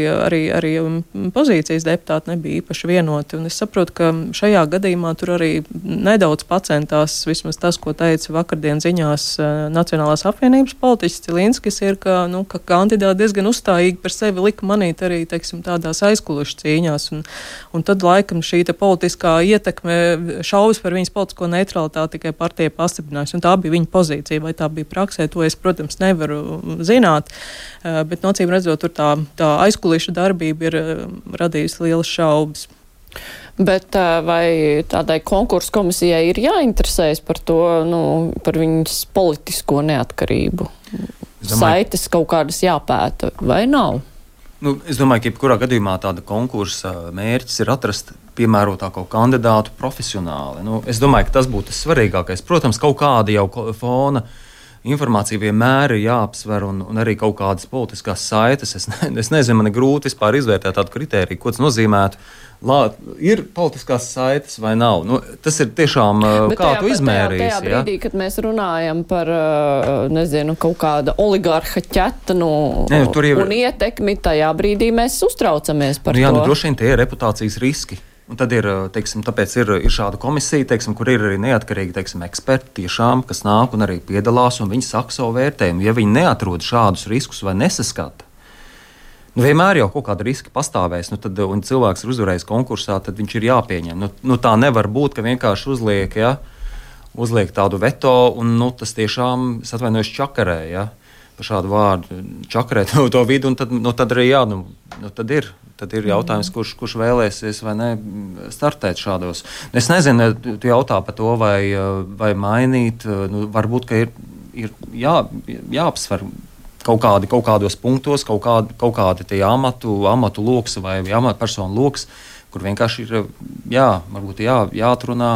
pozīcijas deputāti nebija īpaši vienoti. Un es saprotu, ka šajā gadījumā tur arī nedaudz pacentās, vismaz tas, ko teica vakardien ziņās Nacionālās apvienības politiķis Cilinskis, ir, ka kandidāti diezgan uzstājīgi par sevi lika manīt arī, teiksim, tādās aizkulišu cīņās. Un tad laikam šī politiskā ietekme šaubas par viņas politisko neutralitāti tikai partija pastiprinājās. Un tā bija viņa pozīcija, vai tā bija praksē, to es, protams, nevaru zināt. Bet nocīm redzot, tur tā aizkuliša darbība ir radījusi lielas šaubas. Bet vai tādai konkursu komisijai ir jāinteresējas par to, par viņas politisko neatkarību? Saites kaut kādas jāpēta, vai nav? Es domāju, ka jebkurā gadījumā tāda konkursa mērķis ir atrast piemērotāko kandidātu profesionāli. Es domāju, ka tas būtu tas svarīgākais. Protams, kaut kāda jau fona informācija vienmēr ir jāapsver un arī kaut kādas politiskās saites. Es nezinu, man ir grūti vispār izvērtēt tādu kritēriju, ko tas nozīmētu. Ir politiskās saites vai nav? Tas ir tiešām, kā tu izmērīsi. Tajā brīdī, kad mēs runājam par, kaut kāda oligarha ķetanu un ietekmi, tajā brīdī mēs uztraucamies par to. Droši vien tie ir reputācijas riski. Un tad ir, tāpēc ir šāda komisija, kur ir arī neatkarīgi, eksperti tiešām, kas nāk un arī piedalās, un viņi saka savu vērtējumu. Ja viņi neatrod šādus riskus vai nesaskata, vienmēr jau kaut kāda riska pastāvēs, un cilvēks ir uzvarējis konkursā, tad viņš ir jāpieņem. Tā nevar būt, ka vienkārši uzliek, uzliek tādu veto, un tas tiešām, es atvainojos, čakarē, ja, par šādu vārdu, čakarē to vidu, un tad arī, tad ir jautājums, kurš vēlēsies vai ne startēt šādos. Es nezinu, tu jautā par to, vai mainīt, varbūt, ka ir jāapsver kaut kādos punktos, kaut kādi tie amatu loks vai amatpersonu loks, kur vienkārši ir, varbūt jāatrunā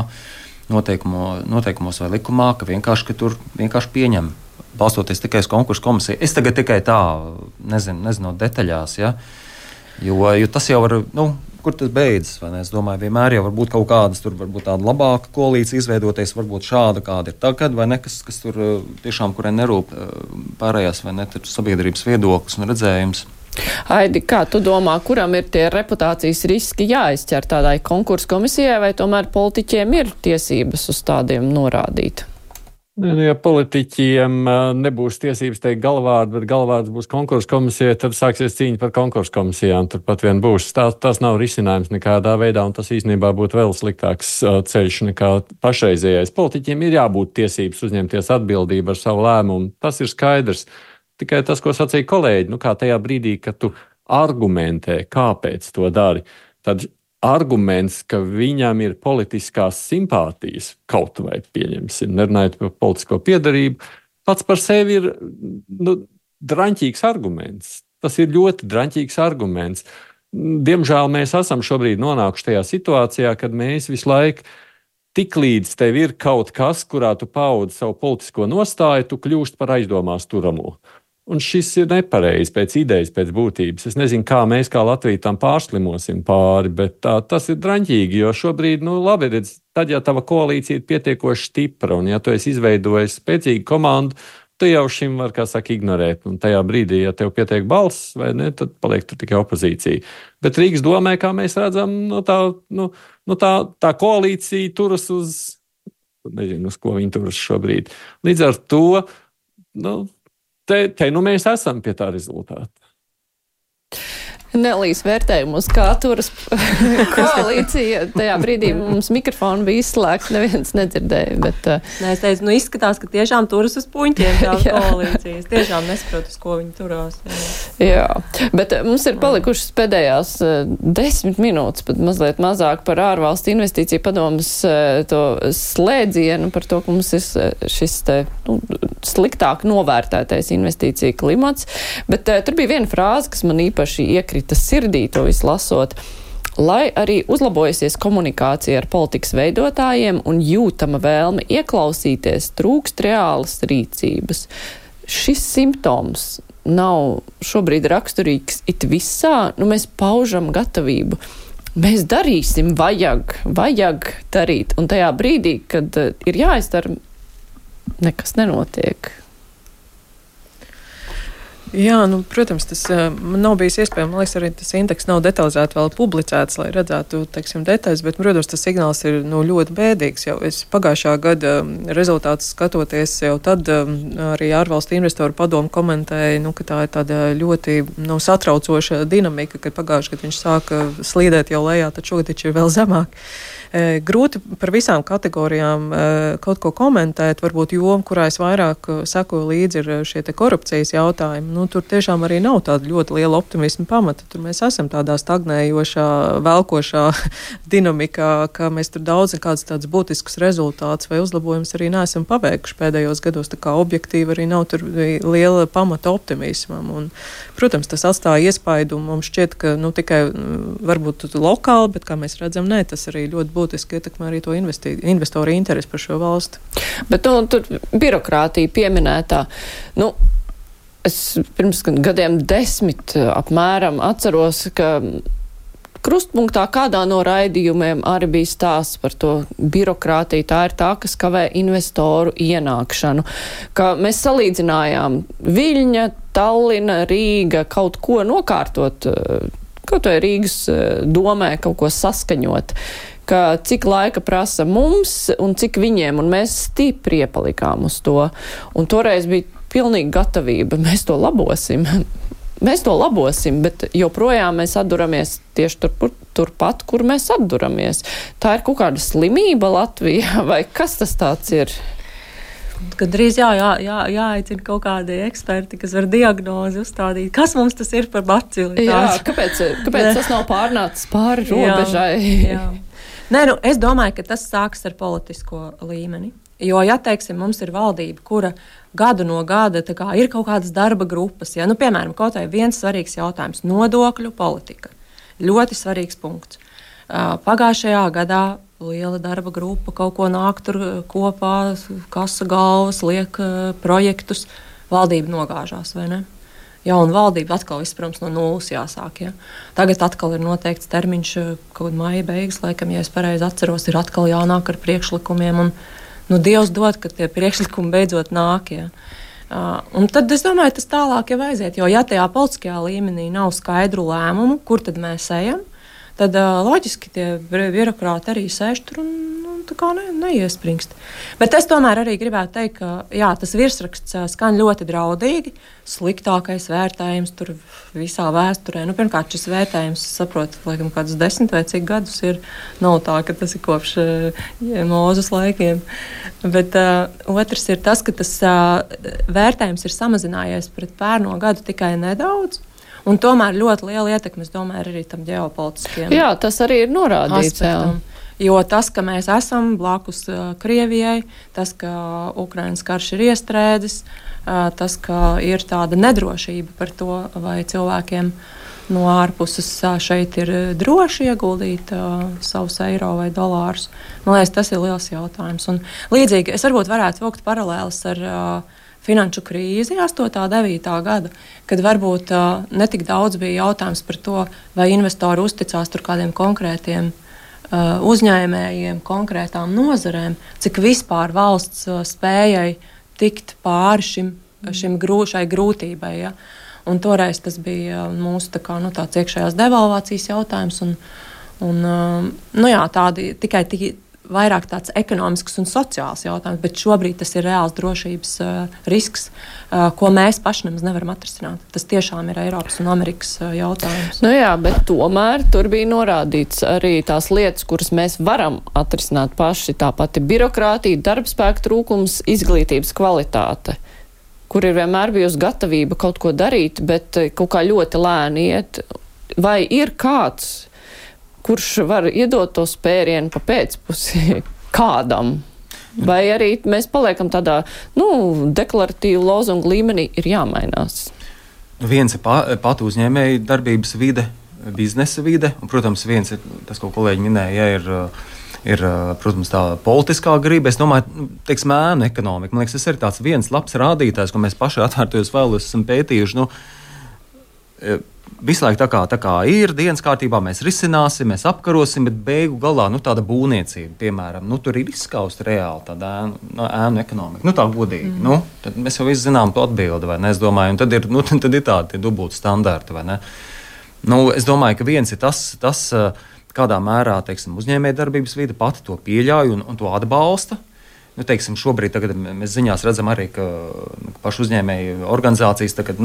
noteikumos vai likumā, ka tur vienkārši pieņem, balstoties tikai uz konkursu komisiju. Es tagad tikai tā, nezinu detaļās, ja, jo tas jau var, kur tas beidzas, vai ne? Es domāju, vienmēr jau var būt kaut kādas, tur varbūt tāda labāka koalīcija izveidoties, varbūt šāda, kāda ir tagad, vai ne, kas tur tiešām, kurai nerūp pārējās, vai ne, sabiedrības viedoklis un redzējums. Aidi, kā tu domā, kuram ir tie reputācijas riski jāizķer tādai konkursu komisijai, vai tomēr politiķiem ir tiesības uz tādiem norādīt? Ja politiķiem nebūs tiesības teikt galvārdu, bet galvārds būs konkursu komisijai, tad sāksies cīņa par konkursu komisijām. Turpat vien būs. Tas nav risinājums nekādā veidā, un tas īstenībā būtu vēl sliktāks ceļš nekā pašreizējais. Politiķiem ir jābūt tiesības uzņemties atbildību ar savu lēmumu. Tas ir skaidrs. Tikai tas, ko sacīja kolēģi, kā tajā brīdī, kad tu argumentē, kāpēc to dari, tad arguments, ka viņam ir politiskās simpātijas, kaut vai pieņemsim, nerunājot par politisko piedarību, pats par sevi ir draņķīgs arguments. Tas ir ļoti draņķīgs arguments. Diemžēl mēs esam šobrīd nonākuši tajā situācijā, kad mēs visu laiku tiklīdz tev ir kaut kas, kurā tu paudi savu politisko nostāju, tu kļūst par aizdomās turamo. Un šis ir nepareizi pēc idejas, pēc būtības. Es nezinu, kā mēs kā Latvija tam pārslimosim pāri, bet tas ir draņķīgi, jo šobrīd, labi, redz, tad, ja tava koalīcija ir pietiekoši stipra, un ja tu esi izveidojis spēcīgu komandu, tu jau šim var, kā saka, ignorēt. Un tajā brīdī, ja tev pietiek balss, vai ne, tad paliek tur tikai opozīcija. Bet Rīgas domē, kā mēs redzam, tā koalīcija turas nezinu, uz ko viņi turas šobrīd. Līdz ar to, Te mēs esam pie tā rezultāta. Nelīs vērtējumu uz kā turas koalīcija. Tajā brīdī mums mikrofonu bija izslēgts, neviens nedzirdēja. Bet, Nē, es teicu, izskatās, ka tiešām turas uz puņķiem tā koalīcija. Es tiešām nesaprotu, uz ko viņi turās. Jā, bet mums ir palikušas pēdējās 10 minūtes, pat mazliet mazāk par ārvalstu investīciju padomas to slēdzienu, par to, ka mums ir šis sliktāk novērtētais investīcija klimats. Bet tur bija viena frāze, kas man īpaši iekrita sirdī to visu lasot. Lai arī uzlabojusies komunikācija ar politikas veidotājiem un jūtama vēlme ieklausīties, trūkst reālas rīcības. Šis simptoms nav šobrīd raksturīgs it visā, mēs paužam gatavību. Mēs darīsim, vajag darīt. Un tajā brīdī, kad ir jāizdara, nekas nenotiek. Jā, protams, tas man nav bijis iespējams. Man liekas, arī tas indeks nav detalizēti vēl publicēts, lai redzētu, detaļas, bet, protams, tas signāls ir ļoti bēdīgs. Jau es pagājušā gada rezultātus skatoties, jau tad arī ārvalstu investoru padomu komentēja, ka tā ir tāda ļoti satraucoša dinamika, kad pagājušajā gadā viņš sāka slīdēt jau lejā, tad šogad taču ir vēl zemāk. Grūti par visām kategorijām kaut ko komentēt, varbūt joma, kurā es vairāk sekoju līdzi, ir šie te korupcijas jautājumi. Tur tiešām arī nav tāda ļoti liela optimisma pamata. Tur mēs esam tādā stagnējošā, velkošā dinamikā, ka mēs tur daudz kāds tāds būtisks rezultāts vai uzlabojums arī neesam paveikuši pēdējos gados. Tā kā objektīvi arī nav tur liela pamata optimismam. Un, protams, tas atstāja iespaidu. Mums šķiet, ka tikai varbūt lokāli, bet kā mēs redzam, tas arī ļoti būtiski ietekmē arī to investoru interesi par šo valsti. Bet tur birokrātija pieminētā. Es pirms gadiem 10 apmēram atceros, ka krustpunktā kādā no raidījumiem arī bija stāsts par to birokrātiju. Tā ir tā, kas kavē investoru ienākšanu. Ka mēs salīdzinājām Viļņa, Tallina, Rīga kaut ko nokārtot, kaut vai Rīgas domē kaut ko saskaņot. Ka cik laika prasa mums un cik viņiem, un mēs stipri iepalikām uz to. Un toreiz bija pilnīga gatavība, mēs to labosim. mēs to labosim, bet joprojām mēs atduramies tieši turpat, kur mēs atduramies. Tā ir kaut kāda slimība Latvijā, vai kas tas tāds ir? Kad drīz jāaicina kaut kādi eksperti, kas var diagnozi uzstādīt. Kas mums tas ir par bacili? Jā, kāpēc tas nav pārnācis pāri robežai? Jā. Nē, es domāju, ka tas sāks ar politisko līmeni. Jo, ja, teiksim, mums ir valdība, kura gadu no gada ir kaut kādas darba grupas, ja, piemēram, kaut vai viens svarīgs jautājums - nodokļu politika. Ļoti svarīgs punkts. Pagājušajā gadā liela darba grupa kaut ko nāk tur kopā, kasa galvas, liek projektus, valdība nogāžās, vai ne? Jauna valdība atkal viss, protams, no nulles jāsāk. Ja? Tagad atkal ir noteikts termiņš, kaut maija beigas, laikam, ja es pareizi atceros, ir atkal jānāk ar priekšlikumiem. Un, Dievs dod, ka tie priekšlikumi beidzot nāk. Ja? Un tad es domāju, tas tālāk jau aiziet. Jo, ja tajā politiskajā līmenī nav skaidru lēmumu, kur tad mēs ejam, tad loģiski tie birokrāti arī sēž tur un tā kā neiespringst. Bet es tomēr arī gribētu teikt, ka jā, tas virsraksts skan ļoti draudīgi. Sliktākais vērtējums tur visā vēsturē. Pirmkārt, šis vērtējums, saprotu, laikam kādus 10 vai cik gadus ir. Nav tā, ka tas ir kopš Mūzes laikiem. Bet otrs ir tas, ka tas vērtējums ir samazinājies pret pērno gadu tikai nedaudz. Un tomēr ļoti liela ietekme, es domāju, arī tam ģeopolitiskiem. Jā, tas arī ir norādīts. Jo tas, ka mēs esam blakus Krievijai, tas, ka Ukrainas karš ir iestrēdzis, tas, ka ir tāda nedrošība par to, vai cilvēkiem no ārpuses šeit ir droši ieguldīt savus eiro vai dolārus. Man liekas, tas ir liels jautājums. Un līdzīgi es varbūt varētu vilkt paralēlis ar finanšu krīzi 8. un 9. gada, kad varbūt netik daudz bija jautājums par to, vai investori uzticās tur kādiem konkrētiem uzņēmējiem, konkrētām nozarēm, cik vispār valsts spējai tikt pāri šai grūtībai. Ja? Un toreiz tas bija mūsu tāds iekšējās devalvācijas jautājums. Tādi tikai vairāk tāds ekonomisks un sociāls jautājums, bet šobrīd tas ir reāls drošības risks, ko mēs paši nemaz nevaram atrisināt. Tas tiešām ir Eiropas un Amerikas jautājums. Jā, bet tomēr tur bija norādīts arī tās lietas, kuras mēs varam atrisināt paši. Tā pati birokrātija, darbspēka trūkums, izglītības kvalitāte, kur ir vienmēr bijusi gatavība kaut ko darīt, bet kaut kā ļoti lēni iet. Vai ir kāds, kurš var iedot to spērienu pa pēcpusi kādam? Vai arī mēs paliekam tādā, deklaratīvu lozungu līmenī ir jāmainās? Viens ir pat uzņēmēja darbības vide, biznesa vide, un, protams, viens ir tas, ko kolēģi minēja, ir, protams, tā politiskā griba. Es domāju, ēnu ekonomika. Man liekas, tas ir tāds viens labs rādītājs, ko mēs paši atvērtajos vēlos esam pētījuši. Visu laiku tā kā ir dienas kārtībā, mēs risināsim, mēs apkarosim, bet beigu galā tāda būvniecība, piemēram, tur ir izskausta reāli tāda ēnu ekonomika. Tā godīgi. Tad mēs jau visi zinām to atbildi, vai ne? Es domāju, un tad ir tādi dubulti standarti, vai ne? Es domāju, ka viens ir tas kādā mērā, uzņēmēja darbības vide pati to pieļauj un to atbalsta. Šobrīd mēs ziņās redzam arī, ka pašu uzņēmēju organizācijas tagad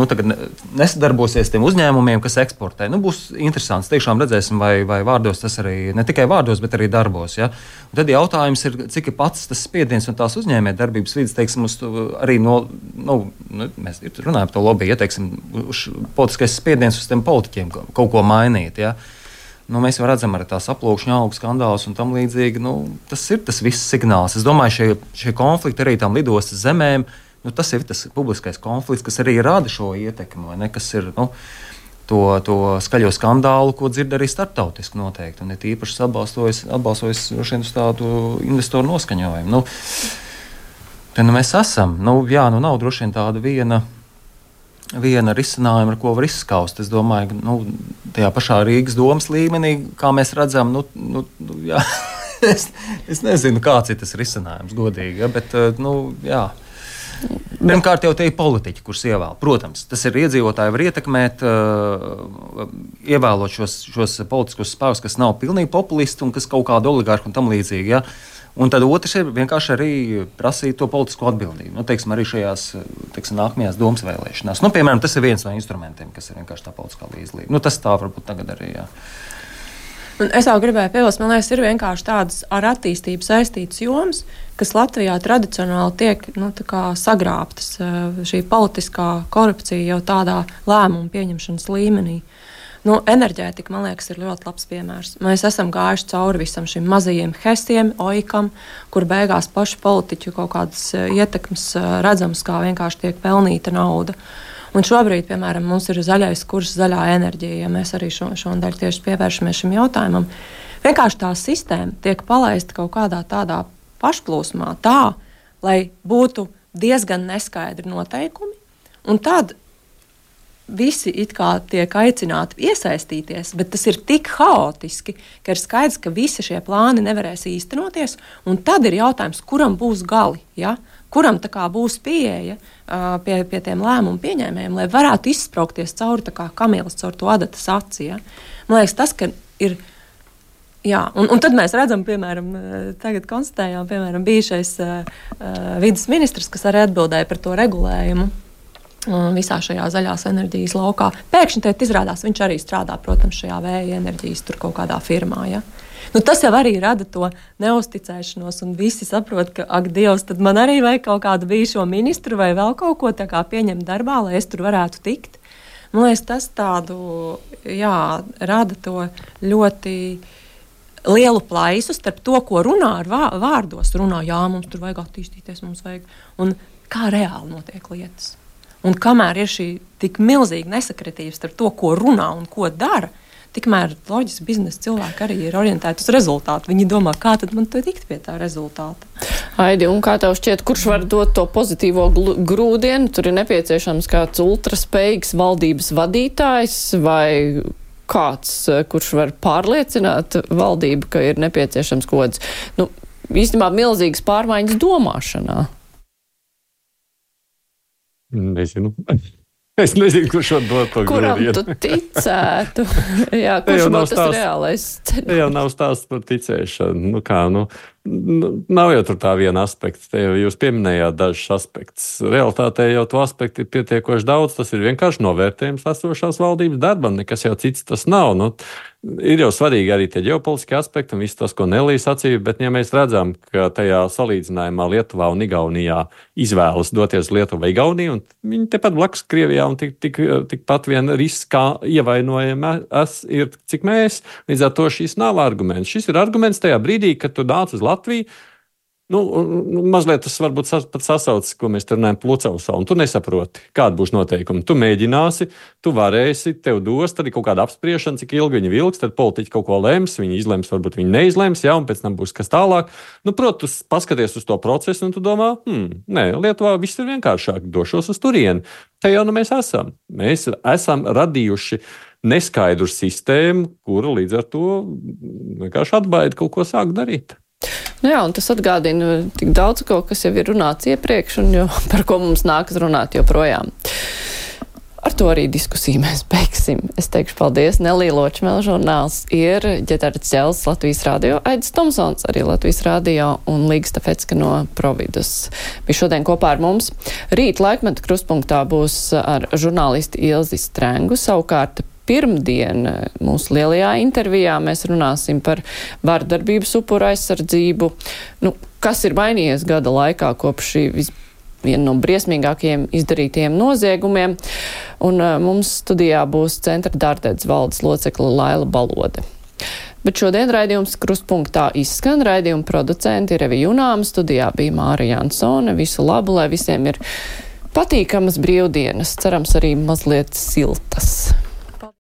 nesadarbosies tiem uzņēmumiem, kas eksportē. Būs interesants. Tiešām redzēsim, vai vārdos tas arī, ne tikai vārdos, bet arī darbos. Ja? Un tad jautājums ir, cik ir pats tas spiediens un tās uzņēmēju darbības vidas, uz arī mēs runājam par to lobby, politiskais spiediens uz tiem politiķiem kaut ko mainīt. Ja? Mēs jau redzam arī tās aplūkšņu augu skandālus un tam līdzīgi. Tas ir tas viss signāls. Es domāju, šie konflikti arī tām lidostas zemēm, tas ir tas publiskais konflikts, kas arī rada šo ietekmi, vai ne? Kas ir to skaļo skandālu, ko dzird arī starptautiski noteikti. Un ir īpaši atbalstojis uz tādu investoru noskaņojumu. Tad mēs esam. Nav droši vien tāda viena risinājuma, ar ko var izskaust. Es domāju, ka tajā pašā Rīgas domas līmenī, kā mēs redzam, es nezinu, kāds ir tas risinājums, godīgi, bet, jā. Pirmkārt, jau te ir politiķi, kurus ievēl. Protams, tas ir iedzīvotāji, var ietekmēt, ievēlot šos politiskos spēkus, kas nav pilnīgi populisti un kas kaut kādu oligarhu un tam līdzīgi, ja. Un tad otrs ir vienkārši arī prasīt to politisko atbildību. Nu, teiksim, arī šajās nākamajās domas vēlēšanās. Nu, piemēram, tas ir viens no instrumentiem, kas ir vienkārši tā politiskā līdzdalība. Nu, tas tā varbūt tagad arī, jā. Un es vēl gribēju piebilst, man liekas, ir vienkārši tādas ar attīstību saistītas jomas, kas Latvijā tradicionāli tiek sagrābtas. Šī politiskā korupcija jau tādā lēmumu pieņemšanas līmenī. Enerģētika, man liekas, ir ļoti labs piemērs. Mēs esam gājuši cauri visam šim mazajiem hesiem, oikam, kur beigās paši politiķu kaut kādas ietekmes redzams, kā vienkārši tiek pelnīta nauda. Un šobrīd, piemēram, mums ir zaļais kurs, zaļā enerģija, ja mēs arī šonadēļ tieši pievēršamies šim jautājumam. Vienkārši tā sistēma tiek palaista kaut kādā tādā pašplūsmā tā, lai būtu diezgan neskaidri noteikumi, un tad visi it kā tiek aicināti iesaistīties, bet tas ir tik haotiski, ka ir skaidrs, ka visi šie plāni nevarēs īstenoties, un tad ir jautājums, kuram būs gali, ja? Kuram būs pieeja pie tiem lēmumu pieņēmējiem, lai varētu izspraukties cauri tā kā kamielis caur to adatas aci. Ja? Man liekas, tas, ka ir. Jā, un tad mēs redzam, piemēram, tagad konstatējām, piemēram, bijušais vides ministrs, kas arī atbildēja par to regulējumu visā šajā zaļās enerģijas laukā. Pēkšņi tad izrādās, viņš arī strādā, protams, šajā vēja enerģijas tur kaut kādā firmā. Ja? Tas jau arī rada to neusticēšanos, un visi saprot, ka, ak, Dievs, tad man arī vajag kaut kādu bijušo ministru vai vēl kaut ko tā kā pieņemt darbā, lai es tur varētu tikt. Man liekas, tas tādu, rada to ļoti lielu plaisu starp to, ko runā ar vārdos. Runā, jā, mums tur vajag attīstīties, mums vajag, un kā reāli notiek lietas. Un kamēr ir šī tik milzīga nesakritība starp to, ko runā un ko dara, tikmēr loģiski biznesa cilvēki arī ir orientēti uz rezultātu. Viņi domā, kā tad man tikt pie tā rezultāta. Aidi, un kā tev šķiet, kurš var dot to pozitīvo grūdienu? Tur ir nepieciešams kāds ultraspējīgs valdības vadītājs vai kāds, kurš var pārliecināt valdību, ka ir nepieciešams kaut kāds, īstenībā milzīgas pārmaiņas domāšanā. Nezinu. Es nezinu, kurš var dot to grūdienu. Kuram tu ticētu? Jā, kurš būtu tas reālais ceļš? Te jau nav stāsts par ticēšanu. Nav jau tur tā viena aspekta. Te jau jūs pieminējāt dažus aspektus. Realtātē jau to aspektu ir pietiekoši daudz. Tas ir vienkārši novērtējums esošās valdības darbam. Nekas jau cits tas nav. Ir jau svarīgi arī tie ģeopolitiskie aspekti un viss tas, ko Nelija sacīja. Bet ja mēs redzam, ka tajā salīdzinājumā Lietuvā un Igaunijā izvēlas doties Lietuvā vai Igauniju, un viņi tepat blakus Krievijā un tikpat vien riskā ievainojami ir, cik mēs. Līdz ar to šis nav arguments. Šis ir arguments tajā brīdī, kad tu nāc uz Latviju. Mazliet tas varbūt pat sasaucas, ko mēs te runājam Plucavsā, un tu nesaproti, kāda būs noteikumi. Tu mēģināsi, tu varēsi, tev dos, tad ir kaut kāda apspriešana, cik ilgi viņi vilks, tad politiķi kaut ko lems, viņi izlems, varbūt viņi neizlems, un pēc tam būs kas tālāk. Protams, paskaties uz to procesu, un tu domā, nē, Lietuvā viss ir vienkāršāk, došos uz turieni. Te jau mēs esam. Mēs esam radījuši neskaidru sistēmu, kura līdz ar to vienkārši atbaida kaut ko sākt darīt. Jā, un tas atgādina tik daudz ko, kas jau ir runāts iepriekš un par ko mums nākas runāt joprojām. Ar to arī diskusiju mēs beigsim. Es teikšu paldies. Nelija Ločmela, žurnāls ir Ģeterts Ķels, Latvijas radio, Aidis Tomsons, arī Latvijas radio un Līga Stafecka no Providus. Bija šodien kopā ar mums. Rīt laikmeta krustpunktā būs ar žurnālisti Ilzi Strengu, savukārt pirmdien mūsu lielajā intervijā mēs runāsim par vardarbības upuru aizsardzību. Kas ir mainījies gada laikā kopš šī viena no briesmīgākajiem izdarītajiem noziegumiem. Un mums studijā būs Centra Dārdedz valdes locekle Laila Balode. Bet šodien raidījums krustpunktā izskan. Raidījuma producenti ir Evi Junāma, studijā bija Mārija Jansone. Visu labu, lai visiem ir patīkamas brīvdienas, cerams arī mazliet siltas.